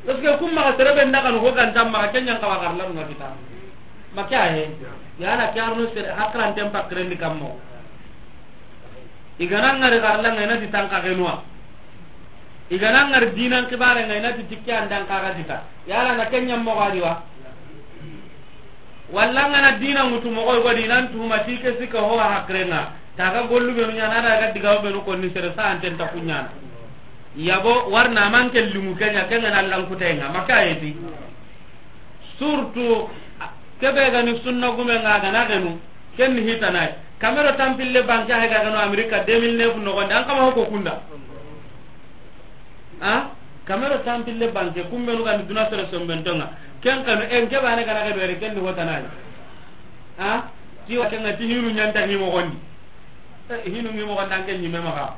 Parce que kun maxa serebe nda kanu ko ganta maxa kenya kawa karla nga kita. Maka he. Ya na kyarno sere hakran tempa krendi kammo. I ga na ŋari karla nga i na ti tanka kenuwa. I ga na ŋari dinan kibare nga i na ti tikki andan kaga kita. Yala na kenya mo gadi wa. Walla an ga na dina ŋutu moxo godi nan tuma ti ke sika ho hakrenga. Taga gollu benu ɲana da ga diga benu ko ni sere sa anten ta kuɲana. Yabo warna man ke limu kenya kenga na lankutenga maka yeti. Surtout kebe ga ni sunna gume nga ga na genu ken ni hitanai. Kamero tampille banke hay ga genu America deux mille neuf no gonda an kama ko kunda. A, kamero tampille banke kumbenu gani duna sere sombentonga. Ken kanu en ke bane kana ke dore ken ni hotanai. A, ti wa kenga ti hinu ɲanta ni mo gondi. E, hinu ni mo gonda ke ni me maxa.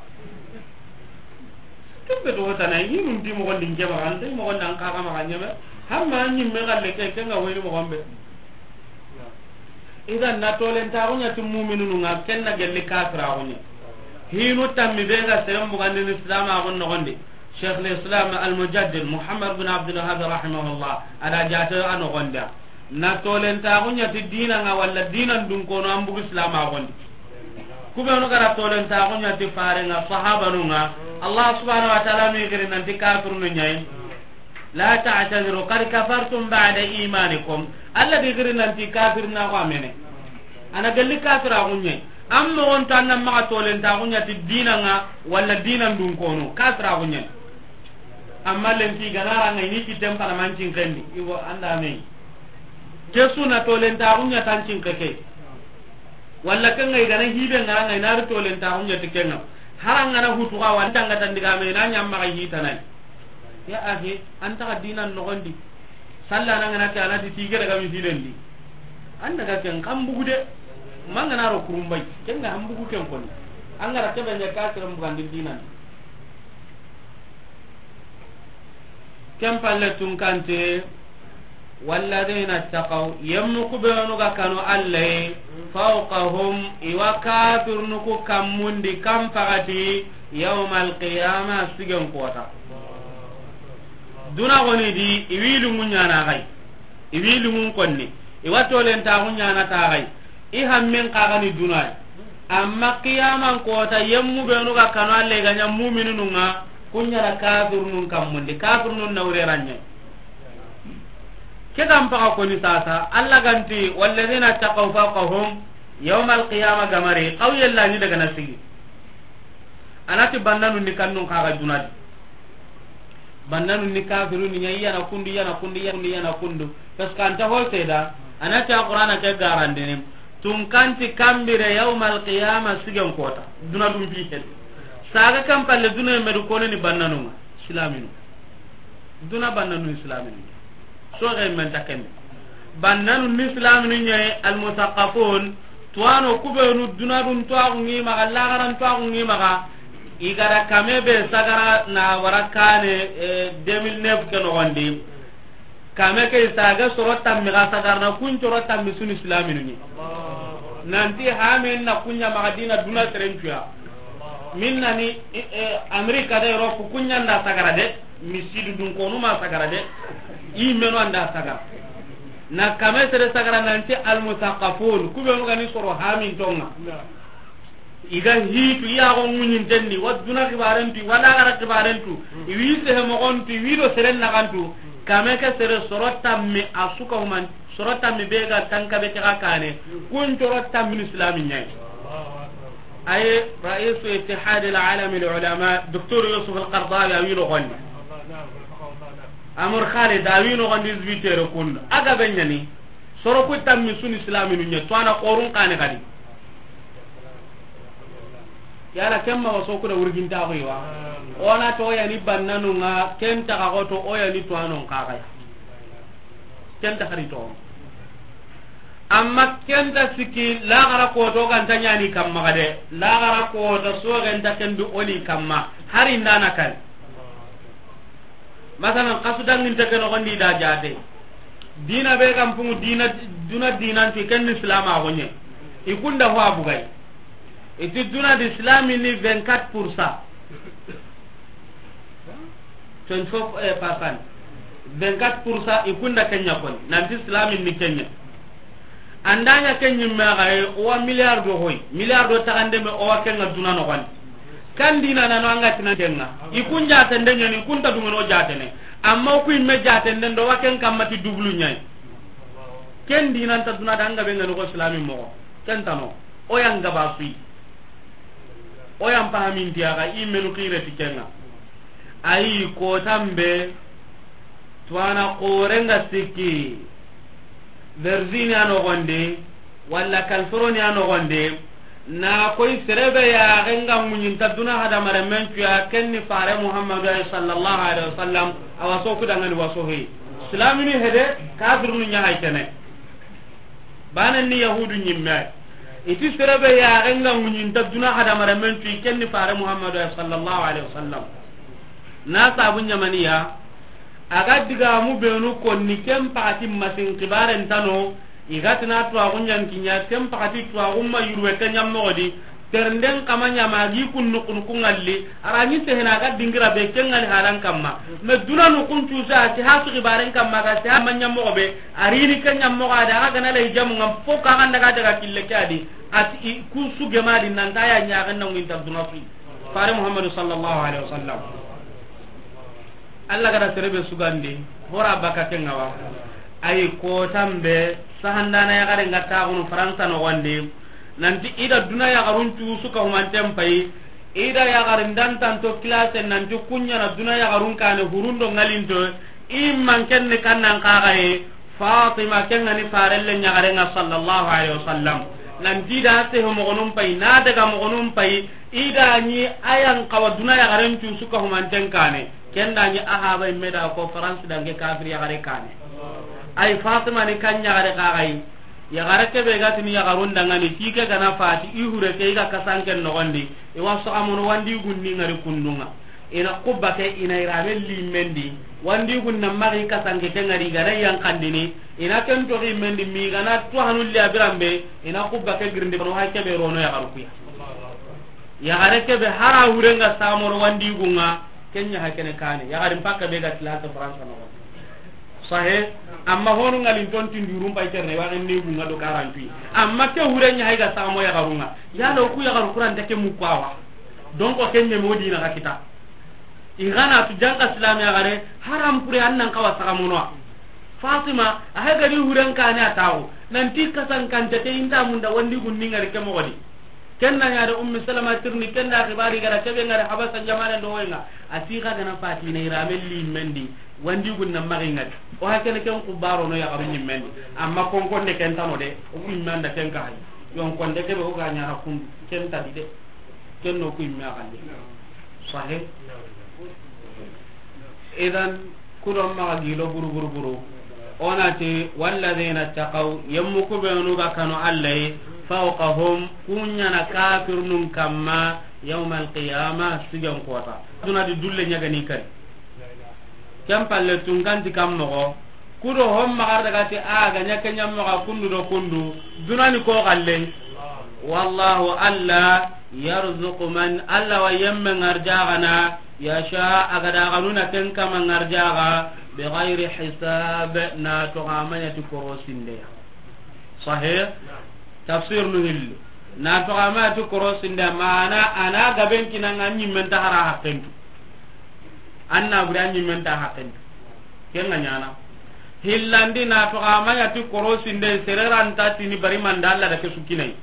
Kembe to hotanai hinu ndi mo gondi ke maxa ndi mo gonda an ka maxa ɲeme. Hamma ni me galle ke kenga woni mo gombe. Idan na tolentaxu ɲa ti muminunu ŋa, ken na gelli kafiraxu ɲa. Hinu tammi be ga seren bugandini silamaxun noxondi. Cheikh l'islam al-mujaddid Muhammad bin Abdul Wahhab rahimahullah, a da jate a noxonda. Na tolentaxu ɲa ti dina ŋa walla dinan dunkono an bugu silamaxundi. Kubenu gara tolentaxu ɲa ti farenga sahabanu ŋa. Allah subhanahu wa ta'ala mi giri nanti kafirunu ɲayi. La ta'tadiru qad kafartum ba'da imanikum. Allah di giri nanti kafir na ko amene. Ana galli kafira gunye. Amma on tan nan maxa tolentaxu ɲa ti dina ŋa walla dinan dunkono kafira gunye. Amma lenki ganara ŋa ini ki tempana mancin kendi. Iwo anda me. Ke suna tolentaxu ɲa tancin keke. Walla kenga i gana hibe ngara ngai na ri tolentaxu ɲa ti kenga. Harangana hutuxa wa ntanga tandiga me na ɲamma ga hitanai. Ya ahi, anta ga dinan noxondi. Salla na ngana ke anati tige daga mi filendi. An daga ken kan bugu de. Mangana ro kurumbay. Kenga han bugu ken koni. Angara kebe nya ka sere mbugandi dinan. Ken palle tunkante, walladina taqaw, yemmu kubenu ga kanu Alla ye, fawqahum, iwa kafirnu ku kammundi kan pagati, yawmal qiyama, sigen kota. Duna goni di, iwi lungu ɲana gai, iwi lungun konni, iwa tolentaxu ɲana ta gai. I hammen kagani dunai. Amma qiyaman kota yemmu benu ga kanu Alla ga ɲa muminunu ŋa, kuɲa da kafirnun kammundi, kafirnun nawreranye. Ke gan paga koni sasa, Alla ganti, walladina taqaw fawqahum yawmal qiyama gamari, qaw yella ni daga na sigi. Anati bannanu ni kannun kaga dunadi. Bannanu ni kafiru ni ɲa, iyana kundu, iyana kundu, iyana kundu, iyana kundu. Parce que anta ho seda, anati a Qur'ana ke garandini. Tunkanti kambire yawmal qiyama sigen kota. Duna dum bi hel. Saga kan palle duna medu kono ni bannanu ŋa. Islaminu. Duna bannanu islaminu. Soxe men ta kende. Bannanu ni islaminu ɲa, al musaqqafun, tuwano kubenu dunadun tuwaxu ŋi maxa, laxaran tuwaxu ŋi maxa, i gada kame be sagara na wara kane, eh, deux mille neuf ke noxondi. Kame ke saga soro tammi ga sagarna, kun coro tammi suni islaminu ni. Nanti hamen na kunya maxa dina duna serencuya. Min na ni, eh, eh, Amerika da Europe kunya nda sagara de, misidu dun konu ma sagara de, i meno anda sagara. Na kame sere sagara nanti almusaqafun, kubenu gani soro hamin tonga. I ga hitu, i yaxo ŋuñinten ni, wa duna xibarentu, wa laxara xibarentu, i wi sehe moxontu, i wi do seren naxantu, kame ke sere soro tammi a suka human, soro tammi be ga tanka be ke ga kane, kun coro tammi ni islami ñayi. Aye, raisu ittihad al alami al ulama, Docteur Yusuf al Qaradawi, a wi noxondi. Amr Khalid, a wi noxondi, hizbi tere kun. A ga be ñani, soro ku tammi suni islaminu ñe, to ana qorun kane kadi. Yala kemma waso kuda wurginta ko yiwa. Ona to yani bannanu nga kenta ka ko to o yani to anon ka kaya. Kenta hari to. Amma kenta siki lagara ko to kan tanyani kamma kade. Lagara ko to so ganta kendu oli kamma. Hari ndana kan. Masalan, kasu danginte ke noxondi da jate. Dina be kan pungu dina, duna dinantu ken ni islam a gonye. I kunda ho abugay. Iti duna di islami ni vingt-quatre pour cent. Twenty-four, eh, percent. Vingt-quatre pour cent i kunda kenya kon. Nanti islami ni kenya. Andanya ken ñimme ga e, o wa milliard do hoy, milliard do taxande me, o wa ken ga duna noxondi. Kan dina nano anga tina ken ga. I kun jatende ñani, i kun ta dungono jatene. Amma o ku imme jatende ndo wa ken kamma ti dublu ñayi. Ken dina nta duna danga be ngani ko islami moxo. Ken tano. O yanga ba sui. O yan pahaminti a ga i menu xire ti ken ga. Ayi, kotan be, tuwana xoren ga sikki, Virginia noxondi, walla California noxondi, na koy serebe ya genga muñinta duna hadamare men cuya, ken ni fare Muhammadu ay sallallahu alaihi wasallam, a waso kudangani waso he. Islamini hede, kafirunu ñahay kene. Banen ni yahudu ñimme ay. Iti serebe ya genga muñinta duna hadamare men cuyi, ken ni fare Muhammadu ay sallallahu alaihi wasallam. Na sabu ñamaniya, a ga digamu benu konni ken pakati masin kibaren tano, i ga tina tuwaxu ñankiña, ken pakati tuwaxu ma yurwe ke ñammoxodi, ternden kama ñama gi kun nuku nuku ngalli, a ra ñi sehena ga dingira be ken ngali halan kamma. Me duna nukun cusa, si ha su kibaren kamma ga si ha ma ñammoxo be, a rini ke ñammoxo a da ga gana lay jamu ngam fo ka ganda ga daga kille ke adi, ati i kun su gemadi nanta ya ñaxen na nginta duna su. Fare Muhammadu sallallahu alaihi wasallam. Allah gada serebe sugandi, hora baka kenga wa. Ay kotan be, sahandana yaxare nga taxunu Faransa noxondi, nanti ida duna yaxarun cu suka humanten pay, ida yaxarin dantanto kilase nanti kuñana duna yaxarun kane hurundo ngalinto, imman kenne kannan kaxaye, Fatima kengani farelle ñaxarenga sallallahu alaihi wasallam. Nanti da sehe moxonun pay, na daga moxonun pay, ida ñi ayan xawa duna yaxaren cu suka humanten kane. Ken da ñi ahaba imme da ko France dange kafir yaxare kane. Ay Fatima ni kan ñaxare kaxay. Yaxare kebe gatini yaxarun dangani tike gana fati i hure ke i ga kasanken noxondi. I wa soxamono wandi gunni ngari kundunga. Ina kubba ke ina irame limendi. Wandi gunna maxi kasanke ke ngari gana yankandini. Ina ken toxi mendi mi gana to hanulli abirambe. Ina kubba ke girindi bano hay kebe rono yaxaru kuya. Yaxare kebe hara hurenga samoro wandi gunga. Kenya hakene kane. Yaxarin pakka be ga tilata France noxo. Sahe. Amma honu ngalin ton tindurum pay terne wa ne gunga do karanti. Amma ke hurenya hay ga samo yaxarunga. Yalo ku yaxaru kuranta ke mukwawa. Donc o kenne mo dina ka kita. I gana tu janka silami yaxare haram pure annan kawa saka mono. Fatima a hay gari huren kane atawo. Nanti kasan kante te inda munda wandi gunni ngari ke mogodi. Kenna ñaade Ummi Salama tirni, kenna xibari gara kebe ngara Habasa jamane do wenga. A ti xa gana fati ne irame limendi, wandi gunna maxi ngari. O hakene ken kubaro no yaxaru ñimmendi. Amma konkonde ken tano de, o ku imme anda ken ka hay. Yon konde kebe o ga ñana kun ken tadi de. Ken no ku imme a xande. Sahe. Idan, kudon maxa gilo buru buru buru. Onati, walladhina taqaw, yemmu kubenu ga kanu Alla yi, fawqahum, kuñana kafirnun kamma, yawmal qiyama, sigen kota. Duna di dulle ñagani kari. Ken palle tunkanti kam moxo, Kudo hon maxa daga ti a ga ɲa ke ɲa maxa kundu do kundu. Dunani ko galle. Wallahu, Alla, yarzuqu man, Alla wa yemme ŋarjaxana, yasha, a ga da xanuna ken kama ŋarjaxa, bi ghairi hisab, na toxo a ma ɲa ti korosinde ya. Sahih? Tafsir nu hilli. Na toxo a ma ɲa ti korosinde, mana a na gaben kinanga ɲimmen ta hara haqqentu. An na buri a ɲimmen ta haqqentu. Ken ga ɲana. Hillandi na toxo a ma ɲa ti korosinde, sere ra nta tini bari manda Alla da ke su kinai.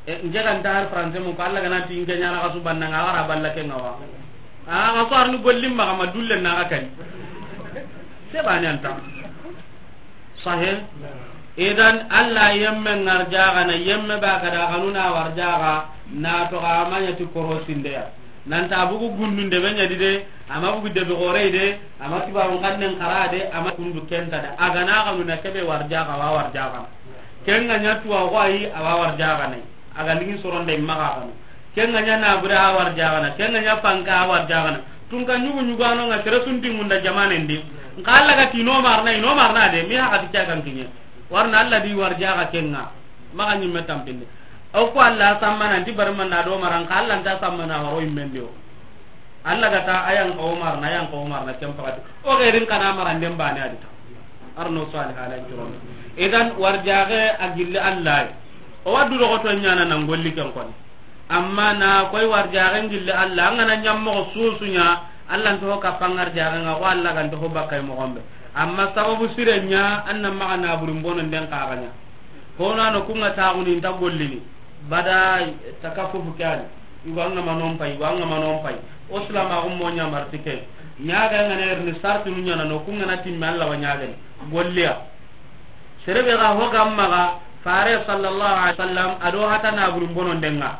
E, nke ga nta har français mu ko Alla ga na ti nke ɲana xasu banna nga wara balla ke nga wa. A, xasu arni gollim ma ma dulle na ga kari. Se ba ni anta. Sahih. Idan Alla yemme ŋarjaxana, yemme ba ga da xanuna warjaxa, na toxo a ma ɲa ti korosinde ya. Nanta bugu gundunde be ɲa di de, a ma bugu debe xore de, a ma tubabun xannen xara de, a ma kundu kenta de. A ga na xanuna kebe warjaxa, wa warjaxana. Ken ga ɲa tuwa xo ayi, a wa warjaxana. A ga ligi soronde maxa xanu. Ken ga ɲa na bure a warjaxana, ken ga ɲa fanka a warjaxana. Tunka ɲugu ɲugano nga sere sunti munda jamanen di. Nka Alla ga ti no marna, i no marna de, mi haxa ti ke kan kiɲe. Warna Alla di warjaxa ken nga. Maxa ɲimme tampinde. O ko Alla sammana nti barmanda do maran ka Alla nta sammana waro immendi o. Alla ga ta ayan ko marna, ayan ko marna ken pakati. O gerin kana maranden bane adita. Arno salih ala juron. Idan warjaxe a gilli Alla. O wadu do to ɲana nan golli ken koni. Amma na koy warjaxen gilli Alla, an ga na ɲa moxo susu ɲa, Alla nta ho kappa ŋarjaxen ŋa, ko Alla ga nta ho bakkay moxon be. Amma sababu sire ɲa, an na maxa na burin bonon den kaxa ɲa. Hono ano kunga taxuni nta gollini. Bada takaffufu ke ani. Igo an ga ma non pay, igo an ga ma non pay. O silamaxu mo ɲa marti ke. Ɲaga nga ne erni sarti nu ɲana no kunga na timme Alla wa ɲagani. Golliya. Sere be ga ho ga maxa, Fare sallallahu alaihi wasallam, a do hata na burin bonon den ŋa.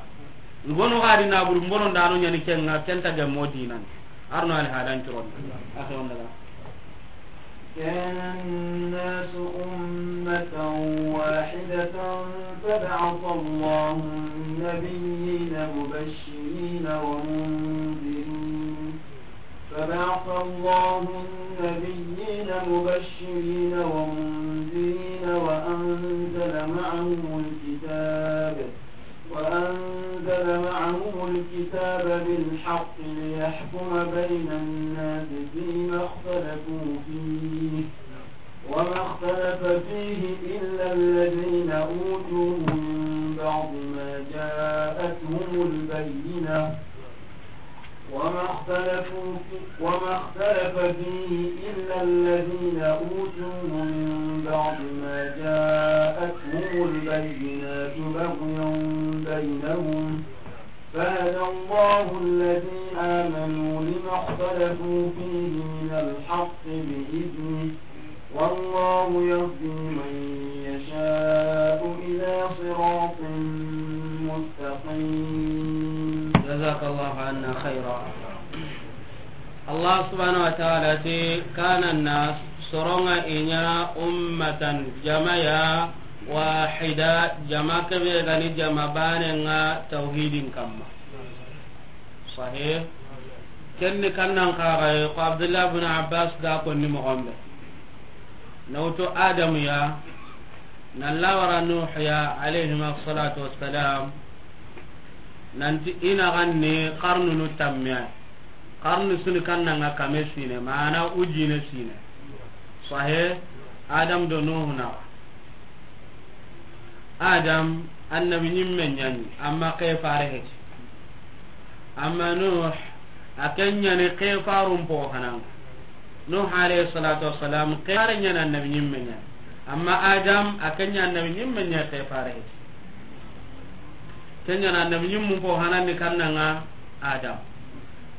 Igono ga di na burin bonon da no ɲani ken ŋa, ken ta ga mo dinan. Arno al halan turon. Axe on daga. كان الناس أمة واحدة فبعث الله النبيين مبشرين ومنذرين فبعث الله النبيين مبشرين ومنذرين وأنزل معهم الكتاب، وأنزل معهم الكتاب بالحق ليحكم بين الناس فيما اختلفوا فيه، وما اختلف فيه إلا الذين أوتوه من بعد ما جاءتهم البينة، وما اختلفوا في-، وما اختلف فيه إلا الذين أوتوه من بعد ما جاءتهم البينات بغيا بينهم، فهدى الله الذين آمنوا لما اختلفوا فيه من الحق بإذنه، والله يهدي من يشاء إلى صراط مستقيم. جزاك الله عنا خيرا. الله سبحانه وتعالى تي كان الناس سرنا إنيا أمة جماعة واحدة جماعة كبيرة جماعة باننا توحيد كما. Sahih. Ken ni kannan kaxay ko Abdullah bin Abbas ga konni moxon be. Na wutu Adamu ya, na lawara Nuh ya, alayhima salatu wassalam. Nanti ina ganni qarnunu tammiya. Qarnu suni kannanga kame sine, mana ujine sine. Sahih. Adam do Nuh na. Adam annabi ɲimme ɲani, amma ke fare heti. Amma Nuh, a ken ɲani ke farun po hananga. Nuh alayhi salatu wassalam, ke fare ɲani annabi ɲimme ɲani. Amma Adam, a ken ɲani annabi ɲimme ɲani ke fare heti. Ken ɲani annabi ɲimmu po hanandi kannanga Adam.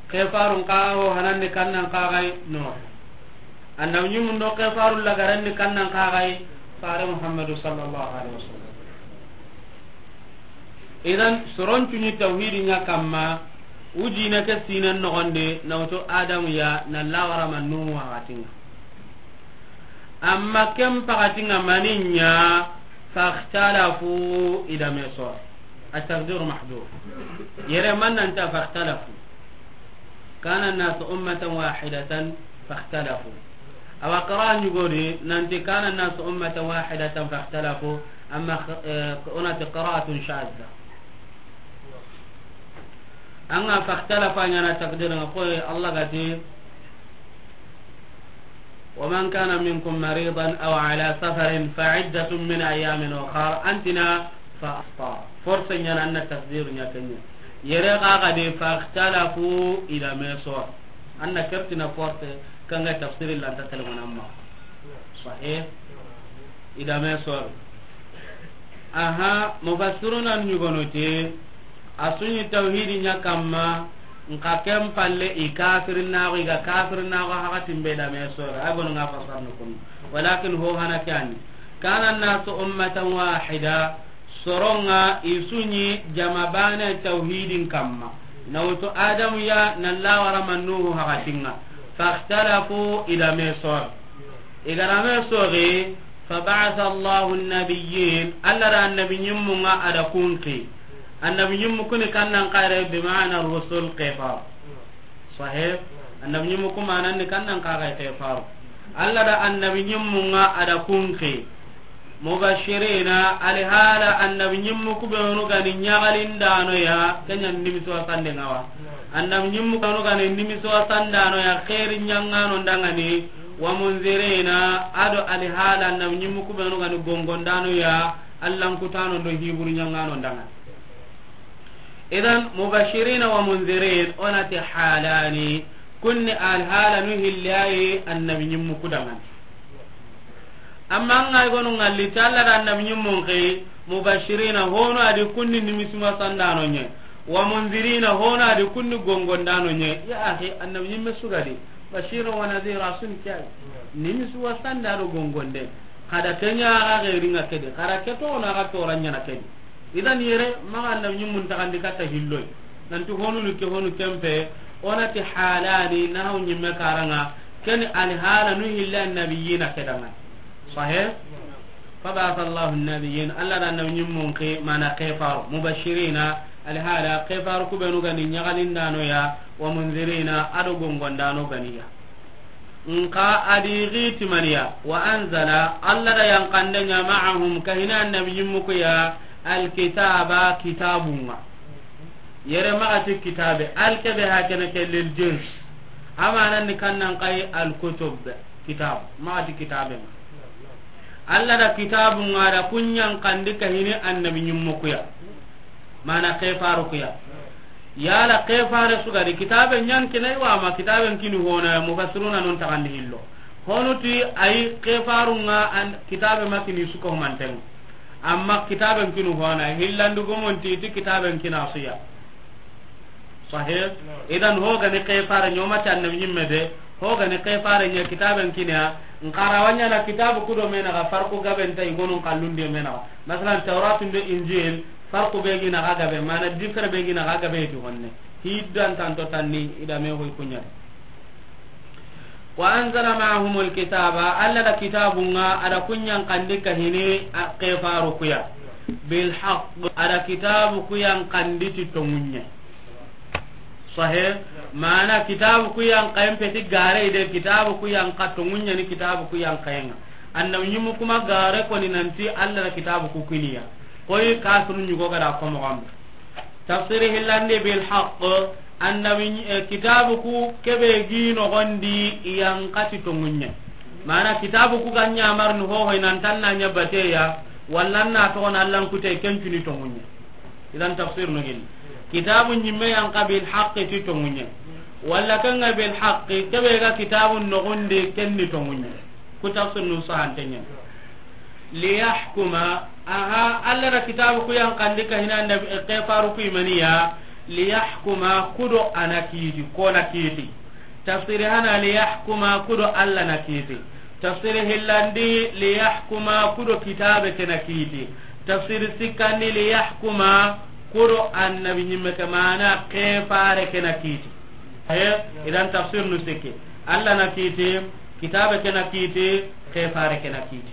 Ke farun ka ho hanandi kannan kaxay Nuh. Annabi ɲimu ndo ke faru lagaranni kannan kaxay fare Muhammadu sallallahu alaihi wasallam. Idan soron tuni tawhidi ɲa kamma, ujine ke sinen noxondi na wutu Adamu ya na lawara ma Nuhu waxatinga. Amma ken pakatinga maninya fakhtalafu ida meso. At-taqdiru mahdhuf. Yere man nanta fakhtalafu. Kana an-nasu ummatan wahidatan fakhtalafu. Awa qira'a ɲugodi nanti kana nasu ummatan wahidatan fakhtalafu, amma, eh, onati qira'atun shadda. Anga fakhtalafa ɲana takdir nga koy Allah gati, wa man kana minkum maridan aw ala safarin fa iddatun min ayamin ukhar, antina fa aftar. Force ɲana anna takdir ɲa kenya. Yere ga ga de fakhtalafu ila meso. Anna kertina force kanga tafsiri lanta telmana amma. Sahih. Idame sor. Aha, mufassiruna ɲugono te, a suɲi tawhidi ɲa kamma, nka ken palle i kafirinaxo, i ga kafirinaxo hakatin be dame sor. Ay gono nga fasarno kun. Walakin ho hana kani. Kana nasu ummatan wahida, soronga i suɲi jama bane tawhidin kamma. Nawtu Adamu ya na lawara mannuhu hakatinga. Fakhtalafu idame sor. Igarame soxi, faba'atha Allahu an-nabiyyin, Allah da annabi ɲimmunga ada kunki. Annabi ɲimmu kuni kannan kare, bima'na rusul, kefaru. Sahih? Annabi ɲimmu kuma nan ni kannan kare kefaru. Allah da annabi ɲimmunga ada kunki. Mubashirina, alihala annabi ɲimmu kubenu gani ɲagalindano ya, kenya nimisi wasande ngawa. Annabi ɲimmu kubenu gani nimisi wasandano ya, khairi ɲangano ndangani. Wa munzirina, ado alihala annabi ɲimmu kubenu gani gongondano ya, Allan kutano do hiburu ɲangano ndanga. Idan mubashirina wa munzirin, onati halani, kunni alihala nu hillayi annabi ɲimmu kudangani. Amma anga gonu ngalli talla da annabi ɲimmun kai, mubashirina, hono adi kunni nimisuma sandano nye, wa munzirina, hono adi kunni gongondano nye. Ya akhi, annabi ɲimme sugadi. Bashira wa nadhira sun kiyai. Nimisu wa sanda do gongonde. Kada kenya ga gairinga kedi. Kada keto na ga toranya na kedi. Idan yere maga annabi ɲimmun tagandi katta hilloy. Nanti honu ni ke honu kempe. Onati halani na hon ɲimme karanga. Ken alihala nu hilla annabiyina kedanga. Sahih? Faba'atha Allahu an-nabiyyin, Allah da annabi ɲimmun ke mana kefaru, mubashirina, alhala kefaru kubenu gani ɲagalindano ya, wa munzirina, ado gongondano ganiya. Nka adi giti maniya, wa anzala, Allah da yankandenya ma'ahum, kahina annabi ɲimmu kuya, alkitaba, kitabunga. Yere magati kitabe, alkebe hakene ke lil jins. Amanan ni kannan kai alkutub, kitab, magati kitabe. Allah da kitabu nga da kunyan kandi kahini annabi ɲimmu kuya. Mana kefaru kuya. Yala kefare sugadi kitabe ɲan kinai wa ma kitaben kini hona mufassiruna non tagandi hillo. Honuti ay kefaru nga an kitabe makini suko manten. Amma kitaben kinu hona hillandu gomonti ti kitaben kina suya. Sahih. Idan hogani kefare ɲomati annabi ɲimme de, hogani kefare ɲa kitaben kiniya, nkara wanya na kitabu kudo mena ga farqu gaben ta igonun kallundi mena. Masalan, Tawratun do Injil, farqu be gina ga gabe, mana dikar be gina ga gabe ti honne. Hiddan tanto tanni idame hoy kunya. Wa anzala ma'ahumul kitaba, Allah da kitabu nga ada kunyan kandi kahini a kefaru kuya. Bil haqq, ada kitabu kuyan kandi ti tongunye. Sahih, mana kitabu kuyan kayen peti gare de, kitabu kuyan ka tongunye ni kitabu kuyan kayenga. Annabi ɲimmu kuma gare koni nanti Allah da kitabu ku kiniya. Koy kafirun ɲugo gada komo gambe. Tafsiri hillandi bil haqq, annabi, eh, kitabu ku kebe gi nogondi iyan kati tongunye. Mana kitabu ku ganya marni hoho inan tanna nya bateya, wallan na to na Allan kute kencuni tongunye. Idan tafsir no gini. Kitabu ɲimme yan ka bil haqqi ti tongunye. Walla kanga bil haqqi kebe ga kitabu nogondi kenni tongunye. Ku tafsir nu sahantenya. Liyahkuma, aha, Allah da kitabu ku yan kandi kahina annabi, eh, kefaru ku imaniya, liyahkuma kudo ana kiti, kona kiti. Tafsiri hana liyahkuma kudo Allah na kiti. Tafsiri hillandi liyahkuma kudo kitabe kena kiti. Tafsiri sikkandi liyahkuma kudo annabi ɲimme ke mana kefare kena kiti. He, idan tafsir nu sikki. Allah na kiti, kitabe kena kiti, kefare kena kiti.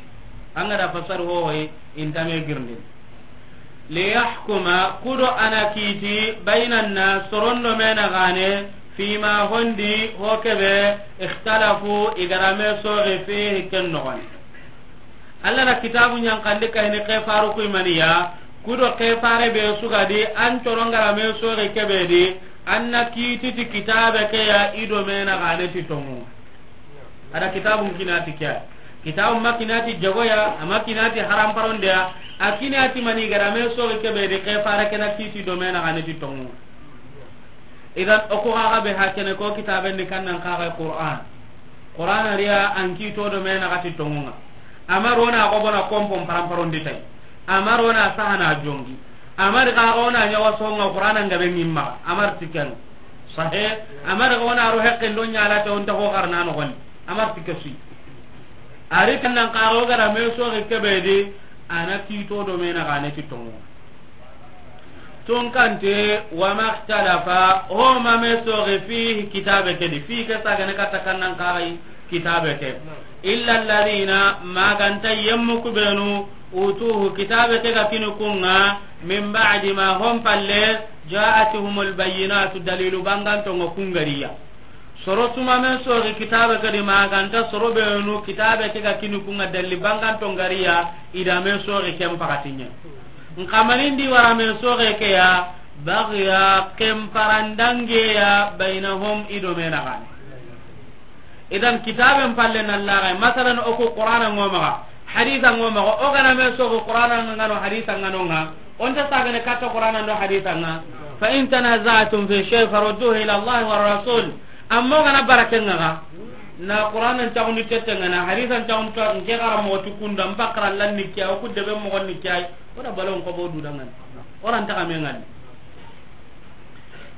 Anga da fasar hohoy, intame girndin. Liyahkuma, kudo ana kiti, bainan nas, sorondo mena gane, Fima hondi ho kebe, ikhtalafu, i ga da me soxi, fihi, ken noxon di. Alla na kitabu ɲankandi kayini ke faru kuy maniya, kudo ke fare be su ga di, an coron ga da me soxi kebe di, an na kiti ti kitabe ke ya, i do me na gane ti tonŋu. A da kitabun kini ti ke ya. Kitabun ma kini ti jagoya, a ma kini ti haramparondeya, a kini ti mani ga da me soxi kebe di, ke fare ke na kiti do me na gane ti tonŋu. Idan, o ku xa ga be hakene ko kitaben di kannan xa ga Qur'an. Qur'an a ri ya an kito do me na gati tonŋun ŋa. A ma ro na ko bona kompon paramparon di tay. A ma ro na sahana jongi. A ma ri xa ga o na ɲa wa soxon ŋa Qur'an an ga be ɲimma. A ma ri ti ken. Sahe. A ma ri xa o na ro hekken do ɲa la te on ta ho garna noxon di. A ma ri ti ke su yi. A ri kannan xa ga o ga da me soxi kebe di, a na kito do me na gane ti tonŋu. Tunkante, wa maktalafa, ho ma me soxi, fihi, kitabe ke di, fihi ke sagane katta kannan xa ga yi kitabe ke. Illa alladhina, ma ga nta yemmu ku benu, utuhu, kitabe ke ga kini kun ŋa, min ba'di ma, hon palle, ja'atuhumul bayyinatu, dalilu banganton ŋa kun ga ri ya. Soro su ma me soxi kitabe ke di, ma ga nta soro benu kitabe ke ga kini kun ŋa dalli banganton ga ri ya, i da me soxi ken pakati ɲa. Nxa mani ndi wara me soxe ke ya, baghya, ken parandange ya, baynahum, i do me na gane. Idan kitaben palle na laga, masalan, o ku Qur'ana ŋo maxa, hadisa ŋo maxa, o ga na me soxi Qur'ana ŋa no, hadisa ŋa no ŋa, o nta sagane katta Qur'ana ndo hadisa ŋa. Fa in tanaza'tum fi shay farudduhu ila Allah wa rasul. Amma o ga na barake ŋa ga, na Qur'ana ntaxundi tette ŋa, na hadisa ntaxundi to, nke xara moxo ti kunda, n bakara lan ni kiya, o ku debe moxo ni kiya, o da balon ko bo du dangani. O ran taxa me ŋani.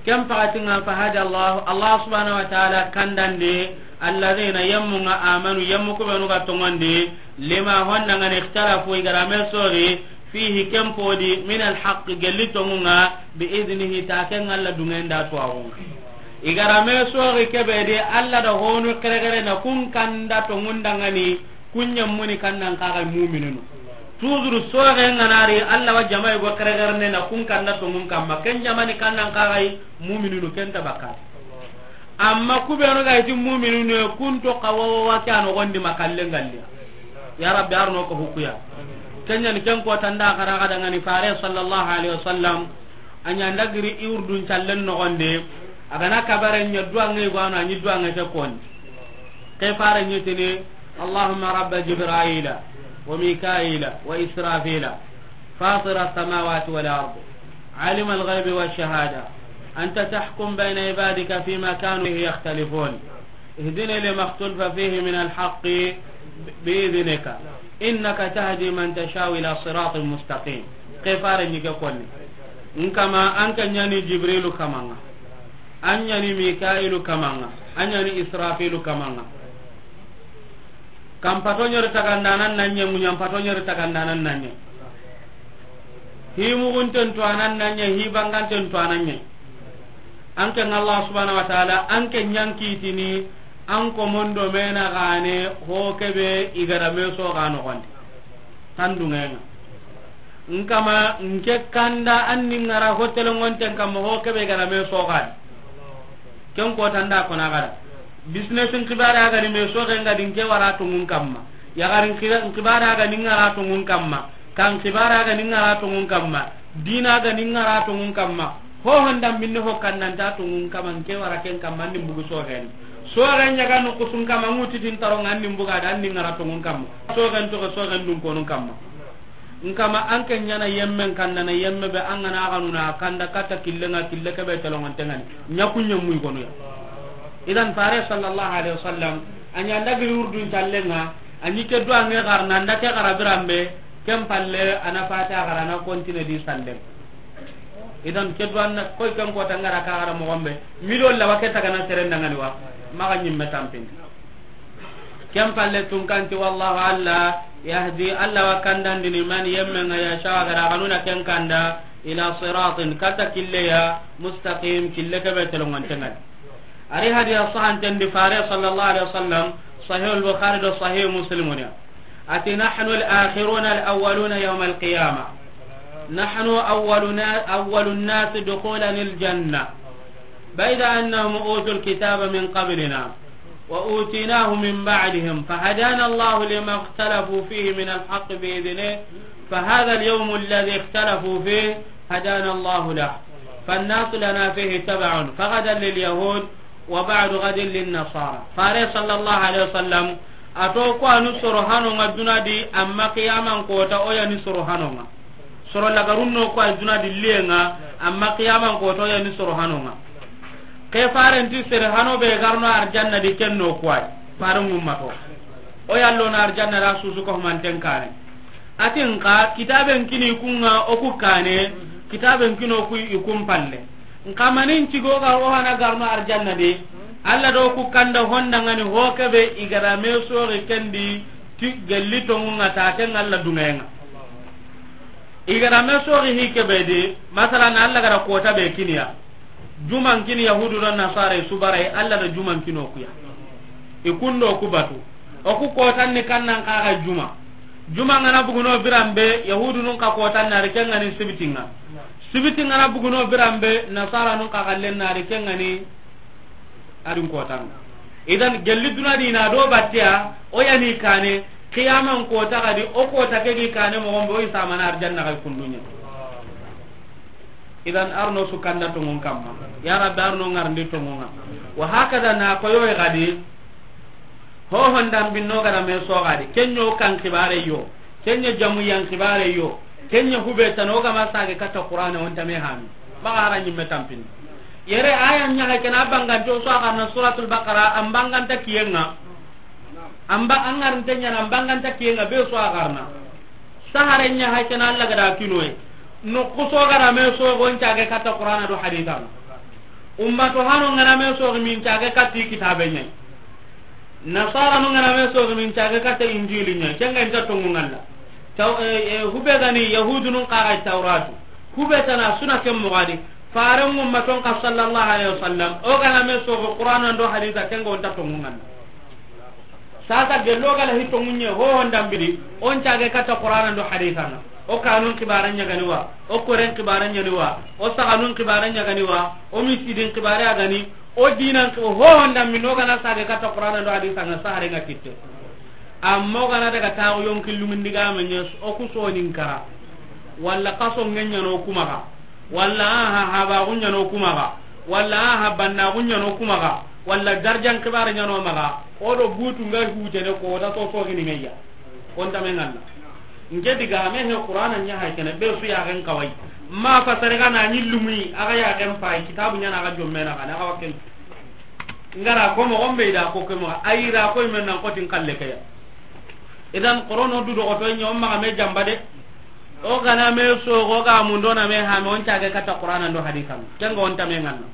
Ken pakati ŋa, fa hada Allah, Allah subhanahu wa ta'ala kandandi, alladhina, yemmu ŋa, amanu, yemmu ku benu ga tonŋon di, lima, honna ŋa ni, ikhtalafu, i ga da me soxi, fihi, ken podi, min alhaq, gelli tonŋun ŋa, bi idnihi, ta ken Alla dungen da tuwaxun ŋa. I ga da me soxi kebe di, Alla da honu xerexere na kun kanda tonŋun dangani, kun ɲammuni kannan xa ga yi mumininu. Toujours soxe ŋa na ri, Alla wa jama yi go xerexere ne na kun kanda tonŋun kamma. Ken jamani kannan xa ga yi mumininu, ken ta bakka. Amma ku benu ga yi ti mumininu, kun to xa wa wa wa ke a noxon di ma kallen galliya. Ya Rabbi, arno ko hukuya. Ken ɲa ni ken ko tanda xara ga dangani Fare sallallahu alaihi wasallam. A ɲa nda giri i wurdun callen noxon di. A ga na kabare ɲa duwange go a no, a ɲi duwange ke koni. Ke fare ɲi tini, اللهم رب جبرائيل وميكائيل وإسرافيل فاطر السماوات والأرض عالم الغيب والشهادة أنت تحكم بين عبادك فيما كانوا فيه يختلفون اهدني لما اختلف فيه من الحق بإذنك إنك تهدي من تشاء إلى صراط مستقيم. Ke fare ɲi ke koni. N kama, an ke ɲa ni Jibrilu kaman ŋa. An ɲa ni Mikailu kaman ŋa, an ɲa ni Israfilu kaman ŋa. Kan pato ɲeri tagandanan na ɲa, muɲan pato ɲeri tagandanan na ɲa. Hi mugunten to anan na ɲa, hi banganten to anan ɲa. An ke ŋa Allah subhanahu wa ta'ala, an ke ɲa n kitini, an ko mondo mena gane, ho kebe i ga da me soxi a noxon di. Tandungenga. N kama, n ke kanda an ni ŋara hotelongonten kamma ho kebe ga da me soxi a di. Ken ko tanda ko na ga da. Business n xibare a ga ni me soxe ŋa di n ke wara tonŋun kamma. Yaxari n xibare a ga ni ŋara tonŋun kamma. Kan xibare a ga ni ŋara tonŋun kamma. Dina a ga ni ŋara tonŋun kamma. Ho honda minne ho kannanta tonŋun kamma n ke wara ken kamma an ni n bugu soxen. Soxen ɲa ga no kusun kamma ŋutitin taronga an ni n buga da an ni ŋara tonŋun kamma. Soxen toxo soxen dun konun kamma. N kama an ke ɲa na yemmen kanda na yemme be an ga na a ga nuna kanda katta kille ŋa kille kebe telongonten ŋa ni. Ɲa ku ɲemmu i gono ya. Idan Fare sallallahu alaihi wasallam, a ɲa nda giri wurdun callen ŋa, a ɲi ke duwange xarana, nda ke xara biranbe, ken palle, a na fata xara, a na kontine di sallen. Idan ke duwan na, koy ken ko tangara ka xara moxon be, miliyon lawa ke tagana seren dangani wa, maxa ɲimme tampindi. Ken palle tunkanti, wallahu, Alla, yahdi, Alla wa kandandini, man, yemmen ŋa, yasha, a ga da a ga nuna ken kanda, ila siratin, katta kille ya, mustaqim, kille kebe telongonten ŋa ni. Ari hadiya sahanten di Fare sallallahu alaihi wasallam, Sahih al-Bukhari do Sahih Muslim ya. Ati, nahnu al-akhiruna al-awwaluna yawm al-qiyamah. Nahnu awwaluna, awwalun nas dukhulan al-jannah. بعد أنهم أوتوا الكتاب من قبلنا وآتيناه من بعدهم فهدانا الله لما اختلفوا فيه من الحق بإذنه فهذا اليوم الذي اختلفوا فيه هدانا الله له فالناس لنا فيه تبع فغدا لليهود وبعد غد للنصارى. Faare sallallahu alaihi wasallam a ti o ku wa ni soro hano ŋa duna di, amma qiyaman kota o ya ni soro hano ŋa. Soro lagarun no ku wa duna di liye ŋa, amma qiyaman kota o ya ni soro hano ŋa. Ke faaren ti sere hano be ga ri no arjanna di ken no ku wa yi. Faaren ŋummato o ya lo na arjanna ra susu ko manten kane. A ti n xa kitaben kini ku ŋa o ku kane, kitaben kini o ku i kun palle. N xa manin cigo ga o hana ga ri no arjanna di, Alla do ku kanda honda ŋa ni ho ke be i ga da me sori ken di ti gelli tonŋu ŋa ta ken Alla duŋe ŋa. I ga da me sori hi ke be di, masalan Alla ga da kota be kini ya. Juman kini Yahudu do Nasara i su bara yi, Alla da juman kini o ku ya. I kun do ku batu. O ku kotan ni kannan xa ga juma. Juma ŋa na bugu no biran be, Yahudunun xa kotan na ri ken ŋa ni sibiti ŋa. Sibiti ŋa na bugu no biran be, Nasaranun xa xallen na ri ken ŋa ni a din kotan ŋa. Idan gelli duna di na do battiya, o ya ni kane, qiyaman kota ga di, o kota ke gi kane moxon be, o i samana arjanna ga i kundunya. Idan arno su kanda tonŋun kamma. Ya Rabbi arno ŋarndi tonŋun ŋa. Wa hakada na koyo ga di. Ho hondan binno ga da me so ga di. Ken ɲo kan xibare yo. Ken ɲa jamu yan xibare yo. Ken ɲa hube tana o ga ma sage katta Qur'ana o nta me hami. Maxa hara ɲimme tampin. Yere aya ɲa ga ken a bangante o su a ga na Suratul Baqara, an banganta kiyen ŋa. An ba, an ŋarinte ɲa na, an banganta kiyen ŋa be su a ga na. Sahare ɲa hay ken Alla ga da kinoye. No ku so ga da me so go n cage katta Qur'ana do hadithan. Ummato hano ŋa na me so min cage katti kitabe ɲa. Nasara no ŋa na me so min cage katta Injili ɲa. Ken ga nta tonŋu ŋa Alla. Taw, eh, eh, hube ga ni Yahudunun xa ga Tawratu. Hube tana suna ken moxo ga di. Faaren ŋummaton xa sallallahu alaihi wasallam. O ga na me so go Qur'ana do haditha ken ga o nta tonŋu ŋa Alla. Sasa gello ga la hi tonŋun ɲa ho hondan bidi, o n cage katta Qur'ana do hadithan ŋa. O kanun xibare ɲa ga ni wa, o koren xibare ɲa ni wa, o saxanun xibare ɲa ga ni wa, o misidin xibare a ga ni, o dinan xi-, ho hondan bidi o ga na sage katta Qur'ana do hadithan ŋa sahare ŋa kitte. Amma o ga na daga taxu yonki lungundi ga me ɲa o ku sonin kara. Walla kaso ŋa ɲa no ku maxa. Walla aha, habaxu ɲa no ku maxa, walla aha, bannaxu ɲa no ku maxa, walla darjan xibare ɲa no maxa, o do butu nga hutene ko da so so gini ŋa ya. O nta me ŋa Alla. Nke diga me he Qur'ana ɲa hay kene be su ya gen kawai. Ma fasare ga na ni lumuyi, a ga ya gen pai, kitabu ɲa na ga jomme na ga na ga wakken. Ngara ko moxon be i da ko ke moxo, a yi ra ko i men nan ko tin kalle ke ya. Idan Qur'ano du do ko to ɲa o maxa me jamba de. O ga na me so go ga mundo na me ha me o n cage katta Qur'ana do hadithan. Ken ga o nta me ŋa Alla.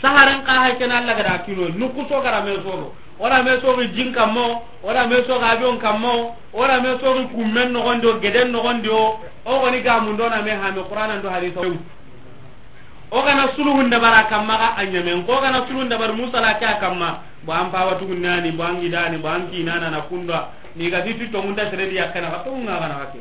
Saharen xa hay ken Alla ga da kinoye. Nu ku so ga da me so go. O da me so go jin kammo, o da me so go avion kammo, o da me so go kummen noxon di o, geden noxon di o. O ga ni ga mundo na me ha me Qur'ana do hadithan. O ga na suluhun dabari a kamma ga a ɲamen. Ko ga na suluhun dabari Musa la ke a kamma. Bo an pawa tugun nani, bo an gidani, bo an kinana na kunda. Ni ga ti ti tonŋun ta sere di ya kana ga, tonŋun ŋa ga na ga ke.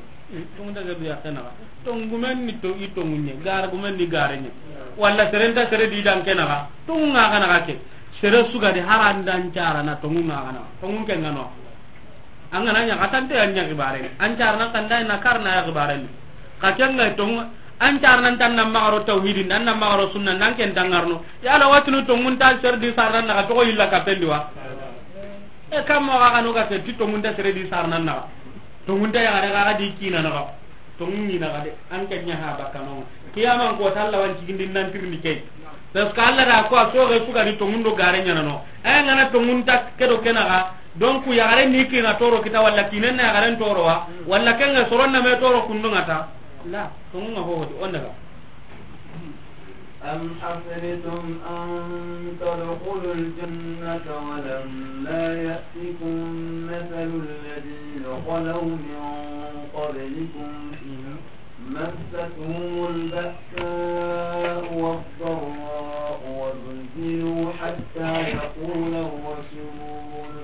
Tonŋun ta sere di ya kana ga. Tonŋu gumen ni to i tonŋun ɲa, gar gumen ni gare ɲa. Walla seren ta sere di dan kana ga. Tonŋun ŋa ga na ga ke. Sere su ga di haran dan cara na tonŋun ŋa ga na ga. Tonŋun ke ŋa no. An ga na ɲa katante an ɲa xibare. An carna kanda na karna ya xibare. Ka ken ga tonŋu an carna tan na maxa ro tawhidin, an na maxa ro sunna, nan ken tangarno. Ya la watinu tonŋun ta sere di sarna na ga to illa ka pendi wa. E kam mo ga no ga ti tonŋun ta sere di sarna na ga. Tonŋun ta ya ga ga di kina na ga. Tonŋu ni na ga de, an ke ɲa ha bakano. Qiyaman ko ta Alla wan cigindi nan tirindi ke. Parce que Alla da ko a soge su ga ni tonŋun do gare ɲa na no. E ŋa na tonŋun ta ke do ke na ga. Donc ya gare ni kina toro kita walla kinen na ya garen toro wa. Walla ken ga soron na me toro kundu ŋa ta. La, tonŋun ŋa ho di o n daga. أم حسبتم أن تدخلوا الجنة ولما يأتكم مثل الذين خلوا من قبلكم مستهم البأساء والضراء وزلزلوا حتى يقول الرسول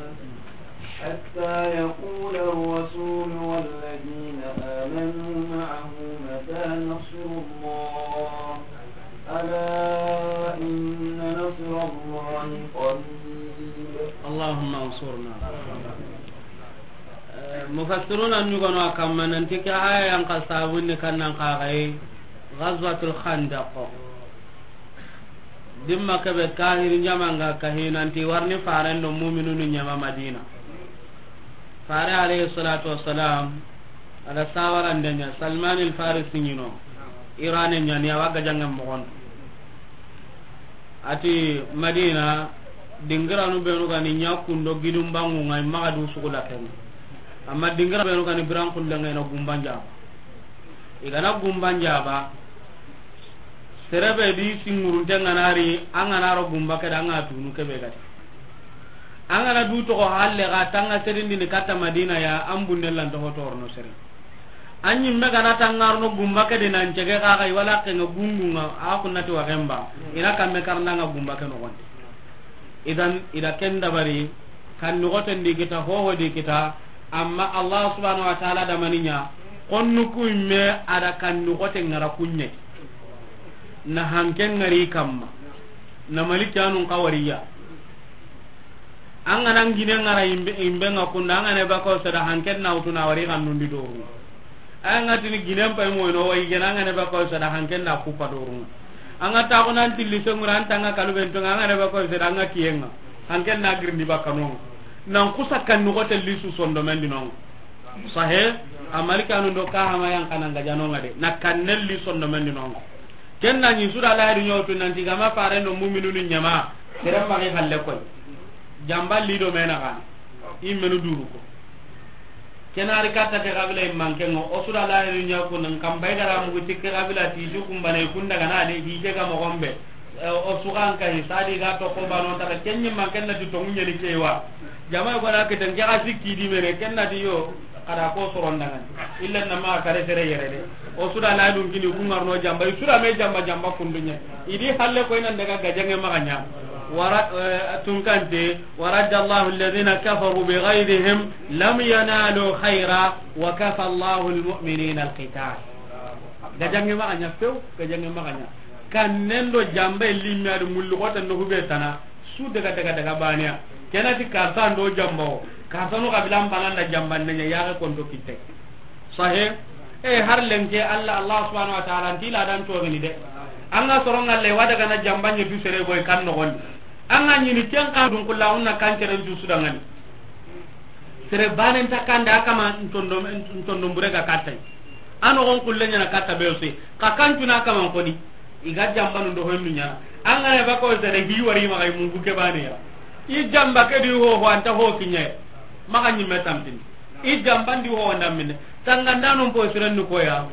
حتى يقول الرسول والذين آمنوا معه متى نصر الله ألا إن اللهم انصرنا. Eh, mufassiruna ñugono a kamma nanti ke aya yan ka sabunni kannan kaxay Ghazwatul Khandaq. Dimma kebe kahiri ñamanga kahi nanti warni faren do muminunu ñama Madina. Fare alayhi salatu wassalam, ala sawarande ña Salman al Farisi ñino, Irane ñani, awa gajangen moxon. Ati Madina, dingiranu benu gani ña kundo gidun bangunga, i maxa du sugu lakenga. Amma dingira benu gani biran kullenga, ina gumban jaba. I gana gumban jaba, serebe di singurunte nganari, an gana ro gumba keda, an ga tunu kebe gati. An gana du toxo halle ga tanga serindini katta Madina ya, an bunne lan toxo torno sere. An ñimme gana tangarno gumba ke di nan cege kaxay wala kenga gungunga, a kunnati waxen ba, ina kamme karnanga gumba ke noxondi. Idan, ida ken dabari, kan noxoten di kita, hoho di kita, amma Allah subhanahu wa ta'ala da maniña, konnu ku imme ada kan noxoten ngara kuñe. Na hanken ngari kamma. Na malikanun kawariya. An gana gine ngara imbe, imbe nga kunda, an gana bako sada hanken na utuna wari kan nundi doru. An ga tini ginen pay moyno wayi gena, an gana bako sada hanken na kupa doru. An ga ta ko nan tilli sengura an tanga kalu bento, an gana bako sada an ga kiyenga. Hanken na girndi bakano. Nan kusa kan noxote lisu sondo mendi non. Sahe, amalikanu do ka hama yan kanan ga janonga de. Na kannel li sondo mendi non. Ken na ñi suda la hadu ñotu nanti gama fare no muminunu ñama. Serem magi halle koy. Jamba li do mena kan. Immenu duru ko. Kenari katta ke kabila immanke ngo. O suda la hadu ñoku nan kambay gara mugu tikke kabila ti ju kumbane kunda gana de hije ga mo gombe. Eh, o sugan ka hisadi ga to ko bano ta ken ñi man ken na ti to ñeni kewa. Jama ko da ke tan ga sikki di mene ken na ti yo. Kada ko soron dangan. Illa na ma kare sere yere de. O suda la dun kini ku ngarno jamba, i suda me jamba jamba kundunya. Idi halle ko inan daga gajange maganya. Wara, eh, tunkante, ورد الله الذين كفروا بغيظهم لم ينالوا خيرا وكفى الله المؤمنين القتال. Gajange maganya few, gajange maganya. Kan nendo jamba limmi adu mullu kota no hube tana. Su daga, daga, daga baniya. Kenati karta ndo jamba o. Karta no kabila mbana nda jamba nenya yaga konto kitte. Sahe. E har lenke Allah, Allah subhanahu wa ta'ala nti la dan to gani de. Anga soronga le wada gana jamba nye du sere boy kan no gon. Anga nyini ken ka dun kullu unna kan cere ju sudangani. Sere banen ta kanda kama ntondo, ntondo mbure ga katai. Ano gon kulle nyana kata be ose. Ka kan tuna kama koni. Iga jamba nundo hoy nunya. Anga ne bako sere hi wari ma kay mungu ke bane ya. I jamba ke di ho ho anta ho kinye. Maka nyimme tampin. I jamba ndi ho ndamine. Tanganda non po sere nu ko ya.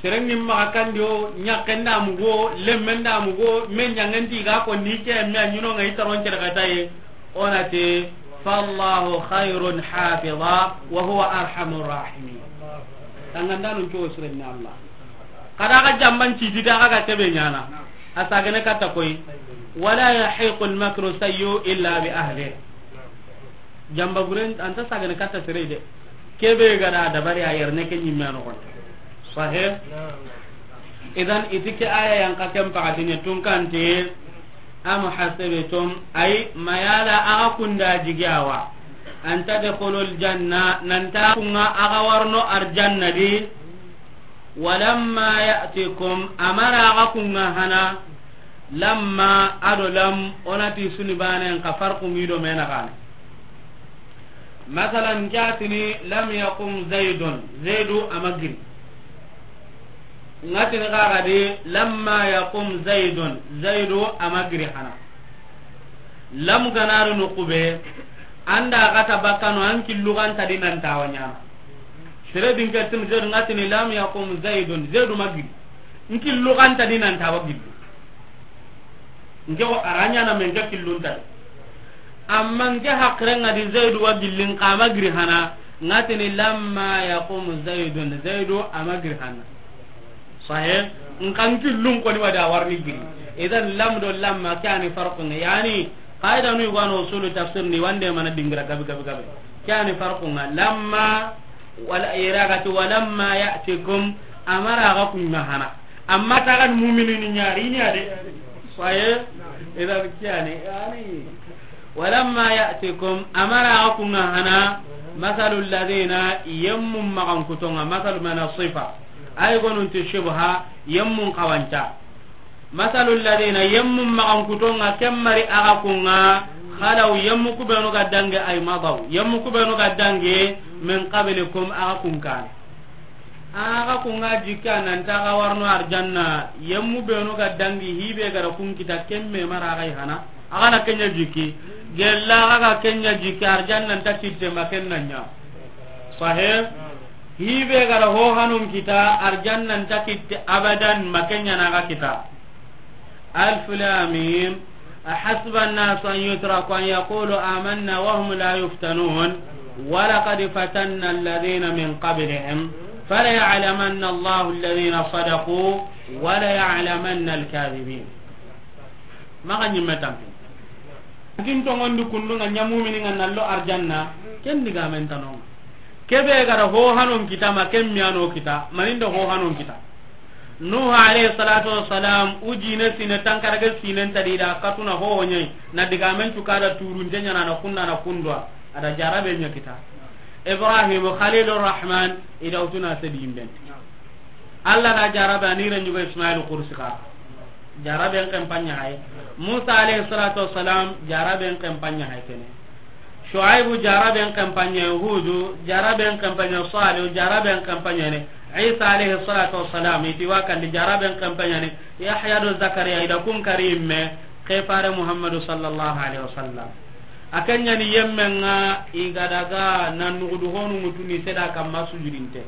Sere ngim maka kandi o nyakenda mugo, lemenda mugo, men nyangendi ga ko ni ke me anyuno ngai taron cere kataye. Onati, فالله خير حافظا وهو أرحم الراحمين. Tanganda nun to sirni Allah. Kada ga jamban ci di daga ga tebe nyana. Asagene kata koy. ولا يحيق المكر السيء إلا بأهله. Jamba buren anta sagene kata sere de. Kebe gada dabari a yerne ke nyimme no kon. Sahih. Idan itike aya yan ka kem pakatine tunkante. Am hasibtum, ay mayala aga kunda jigawa, an tadkhulul janna, nanta kunga aga warno arjanna di. Walamma ya'tikum, amara aga kunga hana. Lamma ado lam, onati suni banen ka farqu ngido mena gane. Masalan, jatini lam yaqum Zaidun, Zaidu amagiri. Ngatini kaga di lamma yaqum Zaidun, Zaidu amagiri hana. Lam ganari nukube, anda gata bakano an killu ganta di nan tawa nyana. Sere din ke tin Zaidu ngatini lam yaqum Zaidun, Zaidu magiri. N killu ganta di nan tawa gillu. Nke ko aranya na men ke killun ta. Amma nke hakre nga di Zaidu wa gillin kama giri hana, ngatini lamma yaqum Zaidun, Zaidu ama giri hana. Sahih. Nkan killun ko ni wada warni giri. Idan lam do lamma kani farqun, yani qaida nu yugo no usulu tafsir ni wande mana dingira gabi gabi gabi. Kani farqun lamma wala iragati walamma ya'tikum amara ga kunna hana. Amma tagan mu'minini nyari nya de. Faye. Idan kiyani, yani, walamma ya'tikum, a ma ra ga kun ŋa hana, masalul ladina, yemmu maxankuto ŋa, masalu mana sifa. Ay gonun ti shibha, yemmun xawanta. Masalul ladina, yemmu maxankuto ŋa, ken ma ri a ga kun ŋa, khalaw, yemmu ku benu ga dangi, ay madaw, yemmu ku benu ga dangi, min qablikum, a ga kun kane. A ga kun ŋa jikka nan ta ga warno arjanna, yemmu benu ga dangi, hi be ga ra kun kita, ken me ma ra ga i hana, a ga na ken ɲa jikki, gella a ga ken ɲa jikki, arjanna nta kitte ma ken na ɲa. Sahih? Hi be ga ra ho hanun kita, arjanna nta kitte abadan, ma ken ɲa na ga kita. Alif Lam Mim. أحسب الناس أن يتركوا أن يقولوا آمنا وهم لا يفتنون ولقد فتنا الذين من قبلهم فليعلمن الله الذين صدقوا وليعلمن الكاذبين. Maxa ɲimme tampi. Kin tongondi kundu ŋa ɲa mumini ŋa na ro arjanna, ken digamen tano ŋa. Ke be ga ra ho hanon kita ma ken miyano kita, maninda ho hanon kita. Nuhu alayhi salatu wassalam, u jine sine tankarage sinen ta di da katuna ho ho ɲa yi, na digamen cu ka da turunte ɲa na, na kunda na kundwa, a da jarabe ɲa kita. Ibrahim Khalilur Rahman, i da wutuna sedi yimbenti. Allah da jarabe a ni ren ɲugo Ismail Kursi ka. Jaraben ken pa ɲa hay. Musa alayhi salatu wassalam, jaraben ken pa ɲa hay kene. Shuaibu jaraben ken pa ɲa, Hudu jaraben ken pa ɲa, Salihu jaraben ken pa ɲa ne. Isa alayhi salatu wassalam, i ti wa kandi jaraben ken pa ɲa ne. Yahya do Zakariya, i da kun kari me, ke fare Muhammadu sallallahu alayhi wasallam. A ken ɲa ni yemme ŋa i ga daga na nugudu honu ŋutuni seda kamma sujudinte.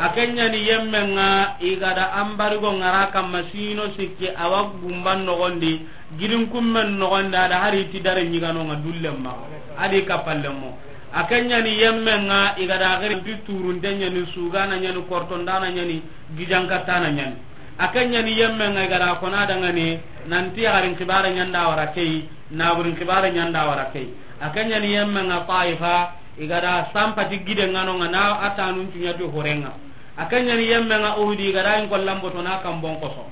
A ken ɲa ni yemme ŋa i ga da ambarigo ŋara kamma sino sikki a wa gumban nogondi, gidin kummen nogondi, a da hari ti dare ɲigano ŋa dullen ma, a di kapallen mo. A ken ɲa ni yemme ŋa i ga da giri ti turunte ɲa ni, sugana ɲa ni, kortondana ɲa ni, gijankattana ɲa ni. A ken ɲa ni yemme ŋa i ga da kona dangani, nanti yaxarin xibare ɲa nda wara key, naburin xibare ɲa nda wara key. A ken ɲa ni yemme ŋa Taifa, i ga da sampati gide ŋa no ŋa na a tanun cuɲa ti hore ŋa. A ken ɲa ni yemme ŋa Uhudi, i ga da in kollan boto na kambon koso.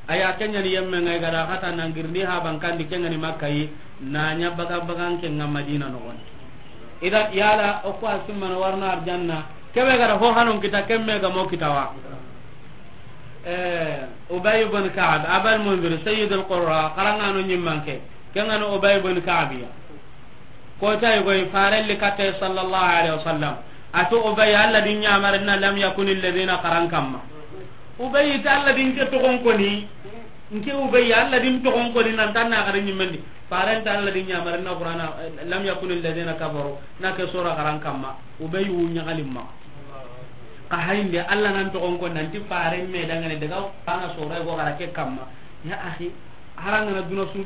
Aya, a ken ɲa ni yemme ŋa i ga da xata nan girindi ha bankandi ken ŋa ni Makka yi, na ɲa baga bagan ken ŋa Madina nogondi. Idan yala o ko a simmana warno arjanna, ke be ga ra ho hanon kita, ken me ga mo kita wa. Eh, Ubay ibn Ka'b, Abal Munzir, Sayyidul Qurra, xarangano ɲimmanke, ken ŋa no Ubay ibn Ka'b ya. Ko tay goy farelli katte sallallahu alayhi wasallam. A to Ubay, Allah din ɲamarinna lam yakunil ladina xaran kamma. Ubay ta Allah din ke togon koni, nke Ubay Allah din togon koni nan tan na xaran ɲimmendi. Faren ta Allah din ɲamarinna Qur'ana, lam yakunil ladina kafaru, na ke sura xaran kamma. Ubay wu ɲagalimma. Ka hayinde Allah nan togon ko nanti faren me dangane daga ana sora go gara ke kamma. Ya akhi, haranga na duna su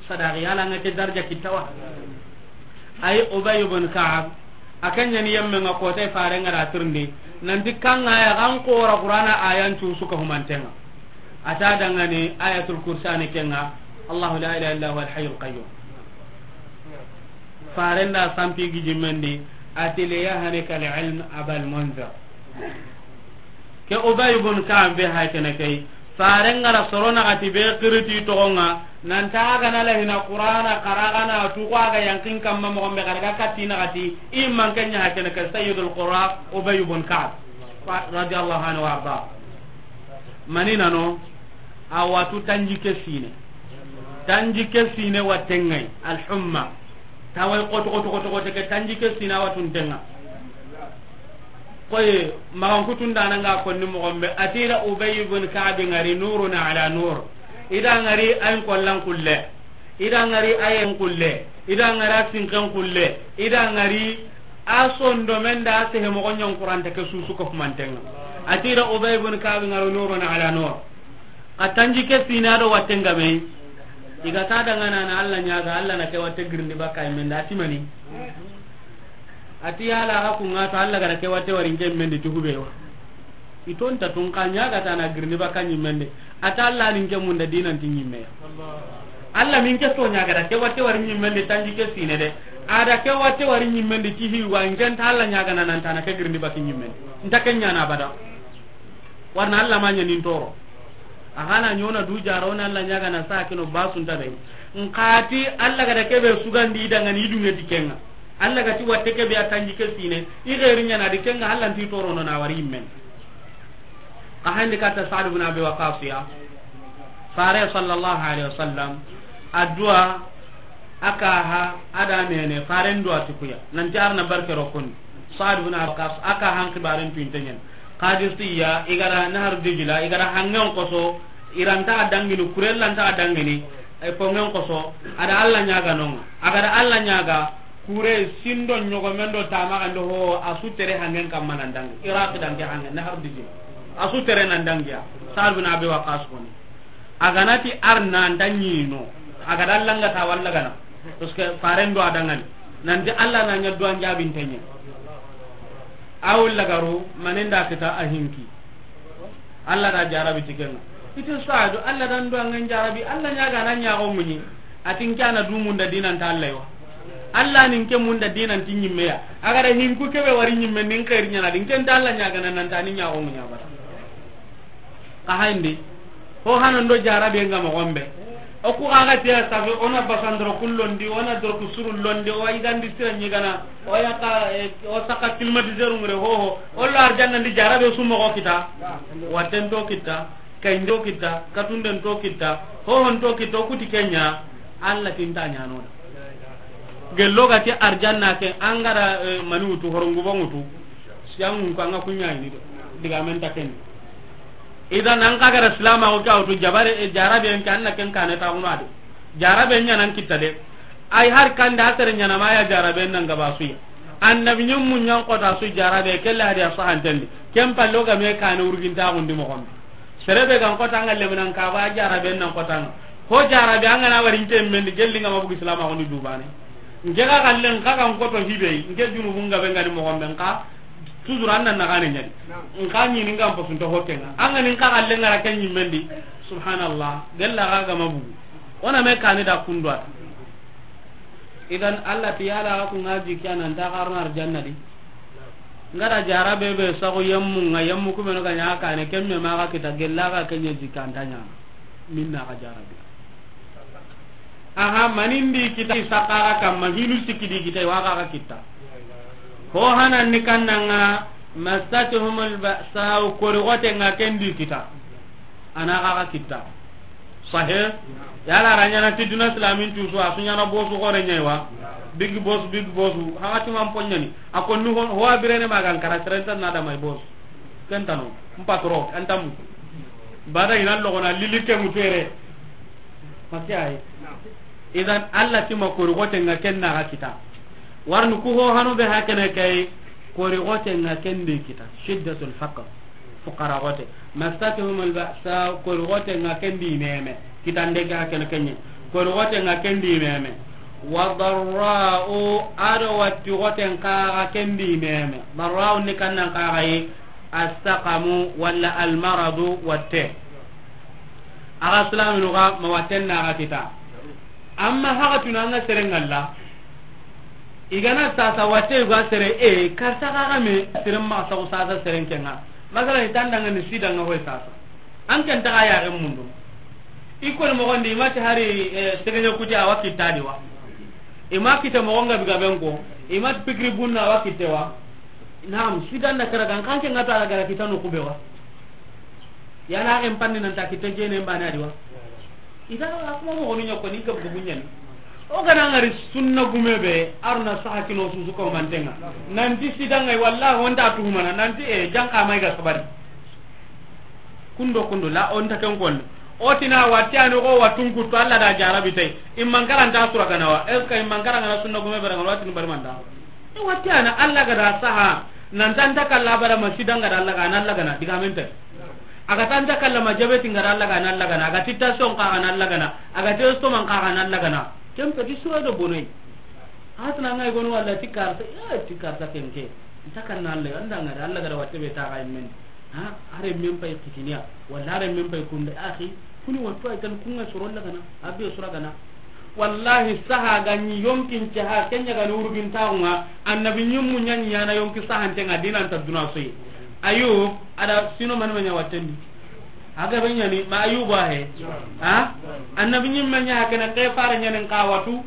sadaqi yala nga ke darja kitawa. Ay Ubay ibn Ka'b, a ken ɲa ni yemme ŋa ko tay faren ŋa da tirndi nanti kanga ya gan ko ra Qur'ana ayan cu suka humantenga. A ta dangane Ayatul Kursi ni kenga, Allahu la ilaha illa huwa al-hayyul qayyum. Faren da sampi gijimmendi, a ti li yahnika al-ilm Abal Munzir. Ke Ubay ibn Ka'b be hay kene kay. Faren ŋa ra soro naxati be xiriti toxo ŋa, nan ta ga na la hina Qur'ana xara ga na tu ko a ga yankin kamma moxo be ga daga katti naxati, i man ken ɲa hay kene kay Sayyidul Qurra Ubay ibn Ka'b. Fa-, radiyallahu anhu wa arda. Mani nano, a watu tanjikke sine. Tanjikke sine watten ŋa yi, al-humma. Taway xoto, xoto, xoto, xoto ke tanjikke sine a watunten ŋa. Koy, maxan kutun da na nga konni moxo be, a ti da Ubay ibn Ka'b ŋari nurun ala nur. I da ŋari ayin kollan kulle. I da ŋari ayen kulle, i da ŋari a sinken kulle, i da ŋari a sondomen da a sehe moxo ɲa n Qur'anta ke susu ko humanten ŋa. A ti da Ubay ibn Ka'b ŋaro nurun ala nur. Xa tanjikke sine do watten ga me. I ga ta dangana na Allah ɲaga, Allah na ke watte girindi bakka yimmen da, a ti mani. A ti yala ga kun ŋa to Allah ga da ke watte wari nke yimmen di ti hube wa. I tonta tun xa ɲaga ta na girindi bakka ɲimmen di. A ta Allah ni nke munda dinan ti ɲimme ya. Allah mi nke so ɲaga da ke watte wari ɲimmen di tanjikke sine de. A da ke watte wari ɲimmen di ti hi wa nke nta Allah ɲaga na nan ta na ke girindi bakka ɲimmen di. Nta ke ɲa na abada. Warna Allah ma ɲa nin toro. A xa na ɲa o na du jara, o na Alla ɲaaga na saha ke no, basunta be. N xa ti Alla ga da ke be sugandi i danŋa ni, i dunŋe ti ken ŋa. Alla ga ti watte ke be a tanji ke sine, i xeeri ɲaana di ken ŋa, Alla nti torono na wari yinmen. Xa handi katta Saad bin Abi Waqas ya. Fare sallallahu alaihi wasallam, a duwa, a ka ha, a da nene, Faren duwa ti ku ya. Nanti a ra na barke ro koni. Saad bin Abi Waqas, a ka han xibaren tu inte ɲen. Qadisiya, i ga da Nahar Dijla, i ga da hanŋen xoso, i ra nta a dangini, kurella nta a dangini, e, konŋen xoso, a da Alla ɲaaga no ŋa. A ga da Alla ɲaaga, kure sindo ɲogomen do tamaxan do ho, a su tere hanŋen kamma nan dangi. Iraq dangi hanŋen, Nahar Dijla. A su tere nan dangi ya. Saad bin Abi Waqas koni. A ga na ti a ra na nta ɲi no. A ga da Alla ŋa ta walla gana. Parce que Faren do a danŋani. Nanti Alla na ɲa duwan jaabinte ɲa. A wulla garu, manen da kita a hinki. Alla da jarabi ti ken ŋa. I ti Saadu, Alla da n duwanŋen jarabi, Alla ɲaaga na ɲaago muɲi. A ti n ke a na du munda dinan ta Alla yi wa. Alla ni n ke munda dinan ti ɲimme ya. A ga da hinku ke be wari ɲimme ni n xeeri ɲaana di, n ke nta Alla ɲaagana nan ta ni ɲaago muɲa bara. Xa hayndi, ho hanan do jarabe nga moxo be. O ku xa ga tiya safi, o na basandoro ku londi, o na doroku suru londi, o wa yigandi sira ɲigana, o ya ka, eh, o saka climatiseur ngure ho ho, o lo arjanna ndi jarabe su moxo kita, watten to kita, kayndo kita, katunden to kita, ho hon to kita, o kuti ken ɲa, Alla ti nta ɲaana o da. Gello ga ti arjanna ke, an ga da, eh, mani wutu, horongu ba wutu, siyangun ko an ga ku ɲa yi ni de, digamen ta ken. Idan an xa ga da silamaxu ke a wutu jabare, e, jarabe en ke an na ken kane taxunu a de. Jarabe ɲa nan kitta de. Ay har kanda a sere ɲaana ma ya jarabe nan ga ba su ya. Annabi ɲimmu ɲan kota su jarabe, kella hadiya sahanten di. Ken palle o ga me kane wurgintaxun di moxo be. Sere be ga n kota an ga leminan ka ba jarabe nan kota an ga. Ho jarabe an ga na wari n ke men di, gelli nga ma bugi silamaxu ni dubane. N ke ga xalle n xa ga n koto hibe, n ke junubun ga be nga ni moxo be n xa. Toujours an na naxane ɲa di. N xa ɲini n ga n pasunta ho ke ŋa. An ga ni n xa xalle n ga ra ke ɲimmen di. Subhanallah. Gella xa ga ma bugu. O na me kani da kundu a ta. Idan Alla ti yala ku ŋa jikki a nan ta xa ro na arjanna di. N ga da jarabe be saxu yemmu ŋa, yemmu ku be no ga ɲa kane, ken me ma xa kita, gella xa ke ɲa jikki a nta ɲaana. Minna xa jarabe. Aha, mani ndi kita i saxara kamma, hinu sikki di kita, i wa xa xa kitta. Ho hanan ni kannanga, massatuhumul ba'sa, kori xote nga ken di kita. A na xa xa kitta. Sahe? Yala a ra ɲaana ti duna silamin tusu, a su ɲaana bosu xore ɲa yi wa. Big boss, big boss, haxa ti man poɲani. A ko nu ho, ho a birene ma ga n kara, sere nta na da may boss. Ken tano, n patron, an tamu. Bada i na loxo na lili ke mutere. Masi ay. Idan Alla ti ma kori xote nga ken na xa kita. Warni ku ho hanu be hakene kay, kori xote nga ken di kita. Shiddatul faqr. Fuqara xote. Massatuhumul ba'sa, kori xote nga ken di meme. Kitande ga hakene kenye. Kori xote nga ken di meme. Wa darra'u, ado watti xote nga xa ken di meme. Darra'u ni kannan xa yi. As-saqamu walla al-maradu watte. Axa silaminu ga ma watten na xa kita. Amma haxa tuna nga sere ngalla. I ga na sasa watte ga sere e, karsa ga ga me, sere ma sa sasa sere ke nga. Masala i tanda nga ni sida nga hoy sasa. An ken ta ya ga mundu. I ko mo gondi i ma ti hari, eh, sege nya kuti a wa kitta di wa. I ma kita mo nga biga ben ko. I ma ti pikiri bunna a wa kitte wa. Naam, sidan da kara gan kan ke nga ta gara kita no kube wa. Yana en panni nan ta kita jene mbane a di wa. Ida a kuma mo gonu ɲa ko ni gab gabu ɲani. O ga na ngari sunna gume be, a ra na saha kino susu ko mantenga. Nanti sidanga wallahi wonta tuhumana, nanti e janka mai ga sabari. Kundo kundo la on ta ken kon. O tina watti ani ko wattun kuttu Alla da jarabi tay. Imman karanta sura gana wa. Est-ce que imman karanga na sunna gume be ran wattun bari manda? E watti ana Alla ga da saha. Nan tanta kalla bara ma sidanga da Alla ga na Alla ga na diga men tay. Aga tanta kalla ma jabeti ngara Alla ga na Alla ga na. Aga titta son ka ga na Alla ga na. Aga testo man ka ga na Alla ga na. Ken pe di sura do bonay. Hatna ngay gonu walla tikarta, ya tikarta kenke. Takan na Alla anda ngara Alla ga da watte be ta ga men. Ha, are men pay kitiniya, walla are men pay kunde, akhi, kuni wattu ay tan kunga soro lagana, abe sura gana. Wallahi, saha ga ni yonkin caha, kenya ga ni urugin taunga, annabi nyummu nyan yana yonki sahan tenga dinan ta duna soyi. Ayub, ada sino man manya wattendi. A ga be ɲaani ma Ayuba he. Ha? Annabi ɲimme ɲa ke na ke fare ɲaani n xa watu.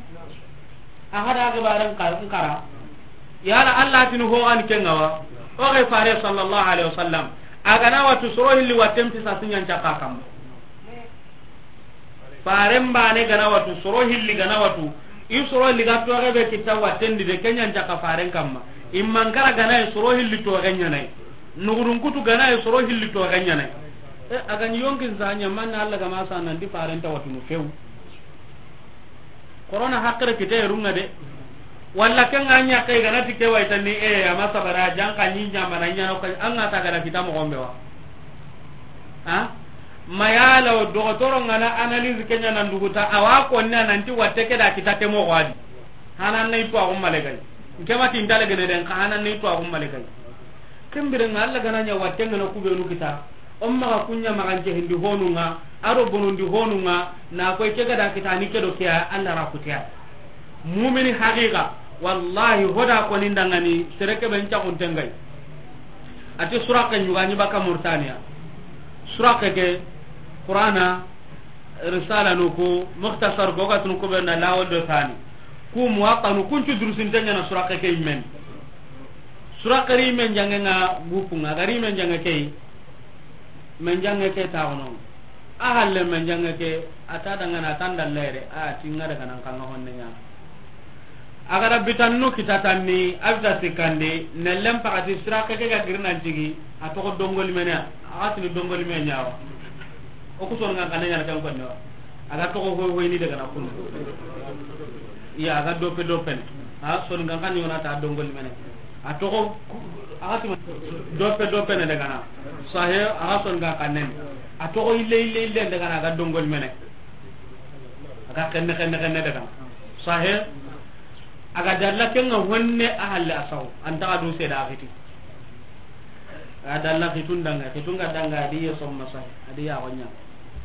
A ga da ke bare n xa-, n xara. Yala Allah tini ho an ke ŋa wa. O ke fare sallallahu alaihi wasallam. A ga na watu soro hilli watten pisa siɲan caka kamma. Faren bane ga na watu, soro hilli ga na watu, i soro hilli ga toxe be kita watten di de, ke ɲan caka faren kamma. I mankara ga na yi soro hilli toxe ɲaana yi. Nugudun kutu ga na yi soro hilli toxe ɲaana yi. E, a ga ni yonkin sa ɲa, manna Allah ga ma sa nan ti faren ta watunu few. Korona hakkere kite runga de. Walla ke ŋa ɲa ke ga na ti ke wa i tanni, e, a ma sabara, jan ka ɲi ɲa mana ɲa no ka, an ŋa ta ga na kita moxo be wa. Ha? Mayala o dogotoro ŋa na analyse ke ɲa nan duguta, a wa konni a nan ti watte ke da kita te moxo a di. Hanan ne i tuwaxu malekay. Nke ma ti n ta legene den, xa hanan ne i tuwaxu malekay. Ken bire ŋa Allah ga na ɲa watte ŋa na ku benu kita. O maxa ku ɲa maxa n cehindi honu ŋa, a do bonondi honu ŋa, na koy ke ga da kita ni ke do ke ya, Allah ra kutiya. Mumini haqiqa, wallahi, hoda koni ndangani, sere ke be n caxunte ŋa yi. A ti Suraqe ɲugani baka Murtaniya. Suraqe ke, Qur'ana, Risala nu ku, Mukhtasar ku, o ga tunu ku be na lawol do tani. Ku Muwatta nu, kun cu durusinte ɲaana Suraqe ke yimmen. Suraqe ri men jange ŋa gupu ŋa, a ga ri men jange ke yi. Men jange ke ta wono. A halle men jange ke, a ta dangana, a ta n dalle re, a ti ŋa daga nan xa ŋa honne ɲa. A ga da bitannu kita tanni, a bita sikkandi, nellen pakati Suraqe ke ga giri nan cigi, a toxo Dongoli mene, a ga tini Dongoli me ɲa wa. O ku soninkan xanne ɲaana ken konne wa. A ga toxo hoy hoy ni daga na kun. Iya, a ga dope dope ne. A soninkan xanne ɲaana ta Dongoli mene. A toxo, a ga tini dope dope ne daga na. Sahe, a ga soninkan xanne. A toxo ille, ille, ille daga na, a ga Dongoli mene. A ga xenne, xenne, xenne daga na. Sahe, a ga dalla ke ŋa honne a halle a saw. An ta ga du seda a xiti. A dalla xitun danga, xitun ga danga, a di ye somma sahe, a di ya gonya.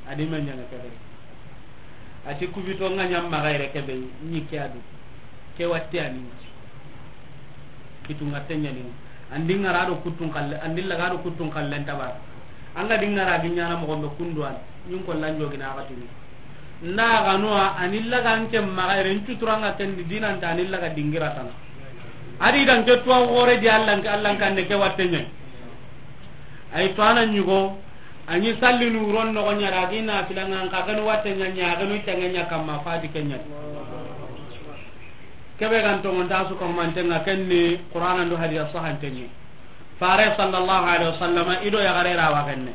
A di men ɲaana ke be. A ti ku bito ŋa ɲa maxa yere ke be, ni ke a du. Ke watte a ni. Kitunga te ɲaani. An di ŋara do kutun xalle, an di laga do kutun xalle n tabara. An ga di ŋara gi ɲaana moxo be kundu an, ɲin ko lan jogina a ga tini. Nda ga no a ni laga n ke maxa yere n cuturanga ken di dinan ta ni laga dingira tana. A di dan ke tuwa gore di Allah n ke, Allah n kanne ke watte ɲa. Ay to a na ɲugo, a ɲi sallinu ron no ɲa ra gi na filanga n xa ganu watte ɲa ɲa ganu tanga ɲa kamma fadi ke ɲa. Ke be gan to ngonta su ko mantenga ken ni Qur'ana ndo hadisa sahante ni. Fare sallallahu alaihi wasallam i do yaxare ra wa genne.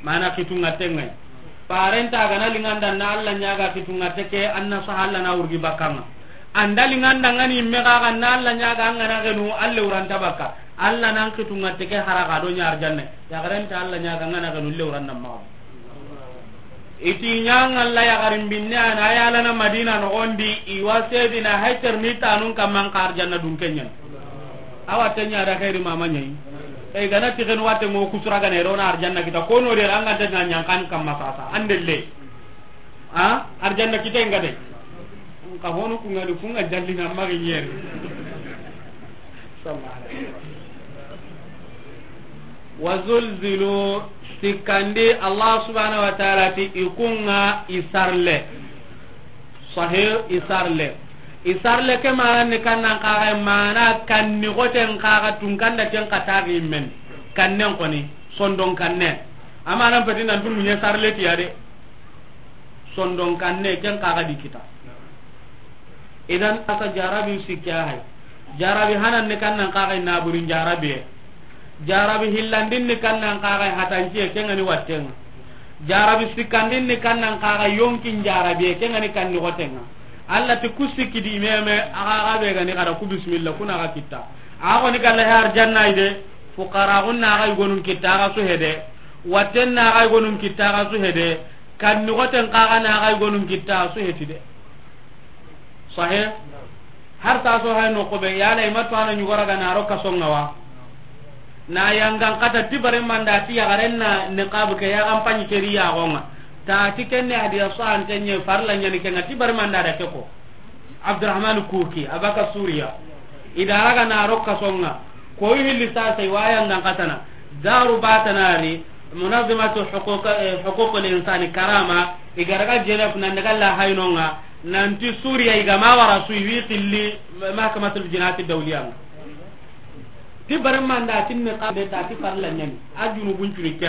Mana kitunga tengai. Faren ta ga na linganda na Allah ɲaga kitunga teke anna sahalla na wurgi bakanga. An da linganda ŋa ni me ga ga na Allah ɲaga an ga na genu Allah wuranta baka. Allah nan kitunga teke hara ga do ɲa arjanne. Yaxaren ta Allah ɲaga an ga na genu le wuran na ma. I ti ɲa ŋa la yaxarin binne a na yalana Madina noxon di, i wa sedina hayter ni tanun kamman xa arjanna dun ke ɲa. Awa te ɲa da xeeri mama ɲa yi. E ga na ti xen watte ŋo kusura ga ne ro na arjanna kita, ko no de an ga te ɲa ɲa kan kamma sasa, an de le. A, arjanna kita nga de. Ka honu ku ŋa di, ku ŋa jallina magi ɲeri. Sallallahu alaihi wasallam. Wa zulzilu, sikkandi Allah subhanahu wa ta'ala ti i ku ŋa i sarle. Sahih, i sarle. I sarle ke mana ni kannan kaga mana kanni goten kaga tun kanda ken kata gi men. Kannen koni, sondon kanne. Amana peti nan tun munye sarle ti ya de. Sondon kanne ken kaga di kita. Idan asa jarabi sikki a hay. Jarabi hanan ni kannan kaga naburin jarabi. Jarabi hillandin ni kannan kaga hatanciye ken ŋa ni wattenga. Jarabi sikkandin ni kannan kaga yonkin jarabi ken ŋa ni kanni gotenga. Allah ti ku sikki di meme, aga ga be ga ni kada ku bismillah kuna ga kitta. Ago ni kala har janna ide. Fuqara gunna ga gonun kitta ga su hede. Watten na ga gonun kitta ga su hede. Kanni goten kaga na ga gonun kitta su heti de. Sahe. Har ta so hay no ko be yala i ma to a na ɲugora ga na ro kaso ŋa wa. Na yangan kata ti bare manda ti yaxaren na niqab ke yaxan paɲi keri yaxon ŋa. Ta ti kenne hadiya so an tenye farla ɲani ke ŋa ti bare manda da ke ko. Abdurrahman Kuki, Abaka Suriya. I da ra ga na ro kaso ŋa. Ko i hilli sa sai wa yangan kata na. Daru batanari. Munazimatu huquq, eh, huququl insani, Karama, i ga daga Genève nan daga la haynonga, nanti Suriya i ga ma wara su, i wi xilli mahkamatul jinayati dawliyanga. Ti baremanda tinne xa be ta ti farla ɲani. A junubun cuni ke.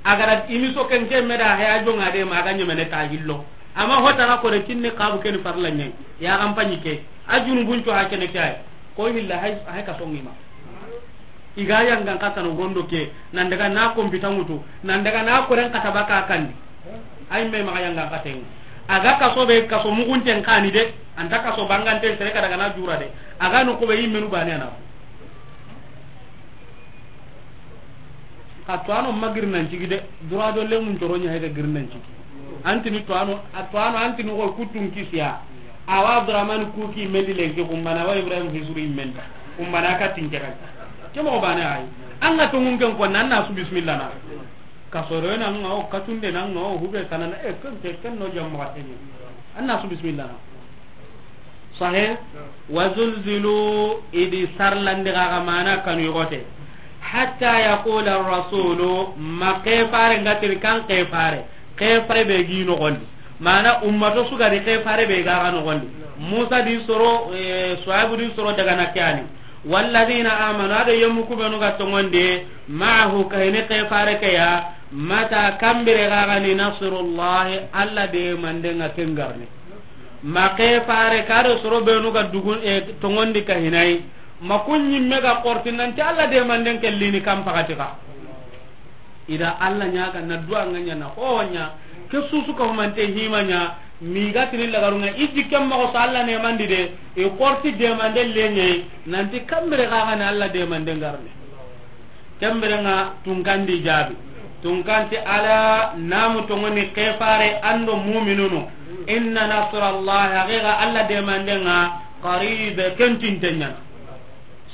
A ga da imi so ken ke me da he a jonga de ma ga ɲemene ta hillo. Amma hotana ko de tinne xa bu ken farla ɲani. Ya gampanyi ke. A junubun cu ha kene ke ay. Ko hilla hay, hay ka songi ma. I ga yangan kata no gondo ke, nan daga na kompita ŋutu, nan daga na koren kata baka kandi. Ay me maxa yangan kata ŋu. A ga kaso be, kaso mugunten kani de, anta kaso bangante sere ka daga na jura de. A ga no ko be yimmenu bane na. Ka to ano magir nan cigi de, dura do le mun toro nya hega gir nan cigi. Antini to ano, a to ano antini ko kutun kisiya. Awa Abdurrahman Kuki mendi lenki kumbana wa Ibrahim Hisuri mendi. Kumbana ka tinke kan. Ke mo bane ay. An ga to mun ken ko nan na su bismillah na. Ka soro na nga o katunde na nga o hube kanana e ken ke ken no jamma wa tenye. An na su bismillah na. Sahe. Wa zulzilu, idi sarlandi ga mana kanu yogote. Hatta yaqula ar-rasulu, ma kefare ngatiri kan kefare. Kefare be gi no gondi. Mana ummato sugari kefare be ga ga no gondi. Musa di soro, eh, Suaibu di soro daga na kyani. Walladhina amanu, ado yemu kubenu ga tongonde, ma'ahu, kahini kefare ke ya, mata kambire ga ga ni nasrullahi, Alla de mande nga kengarni. Ma kefare kado soro benu ga dugun, eh, tongondi kahinai. Ma kunyi mega korti nanti Alla de mande kellini kam pakati ka. Ida Alla ɲaga na duwa nga ɲa na ho ɲa, ke susu ka humante hima ɲa, mi ga tini lagarunga iji kem moxo so Alla ne mandi de, i korti demande lenye, nanti kambire ga ga ni Alla demande ngarne. Kambire nga tunkandi jabi. Tunkanti ala namu tongoni kefare ando mu'minunu. Inna nasrallahi, haqiqa Alla demande nga, qaribe, kentin tenyana.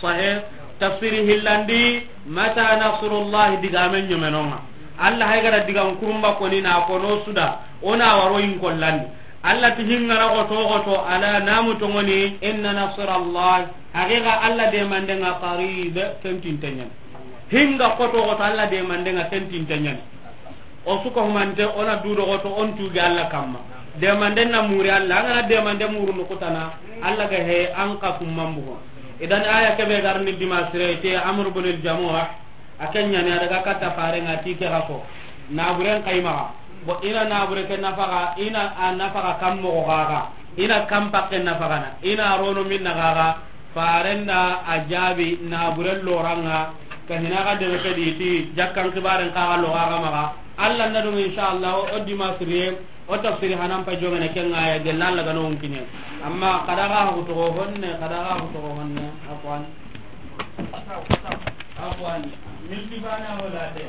Sahe, tafsiri hillandi, mata nasrullahi digamen ɲomenonga. Alla haygara digan kurumba koni na kono suda, ona waro in kollandi. Alla ti hingara goto goto, ala namu tongoni, inna nasrallahi, haqiqa Alla demandenga qarib, kentintenyan. Hinga goto goto Alla demandenga kentintenyan. O suka humante, ona dudo goto, on tugi Alla kamma. Demanden na muri Alla, angana demande muru nukutana, Alla ga he, an ka kummambugo. Idan aya kebe garni dimasire, te Amr ibn al-Jamuh, a ken ɲani a daga katta farenga ti ke ga ko. Naburen kaymaga. Bo ina nabure ke nafaga, ina a nafaga kammo gaga. Ina kampakke nafagana. Ina rono minna gaga. Farenda a jabi naburen loranga. Ka hina ga debe ke di ti jakkan kibaren kaga logaga maga. Alla na dum inshallah o dimasire. O tafsiri hanan pa jogene ken aya gella Alla gano unkiɲe. Amma kada ga hu togo honne, kada ga hu togo honne, afwan. Afwan. Milti bana wala te.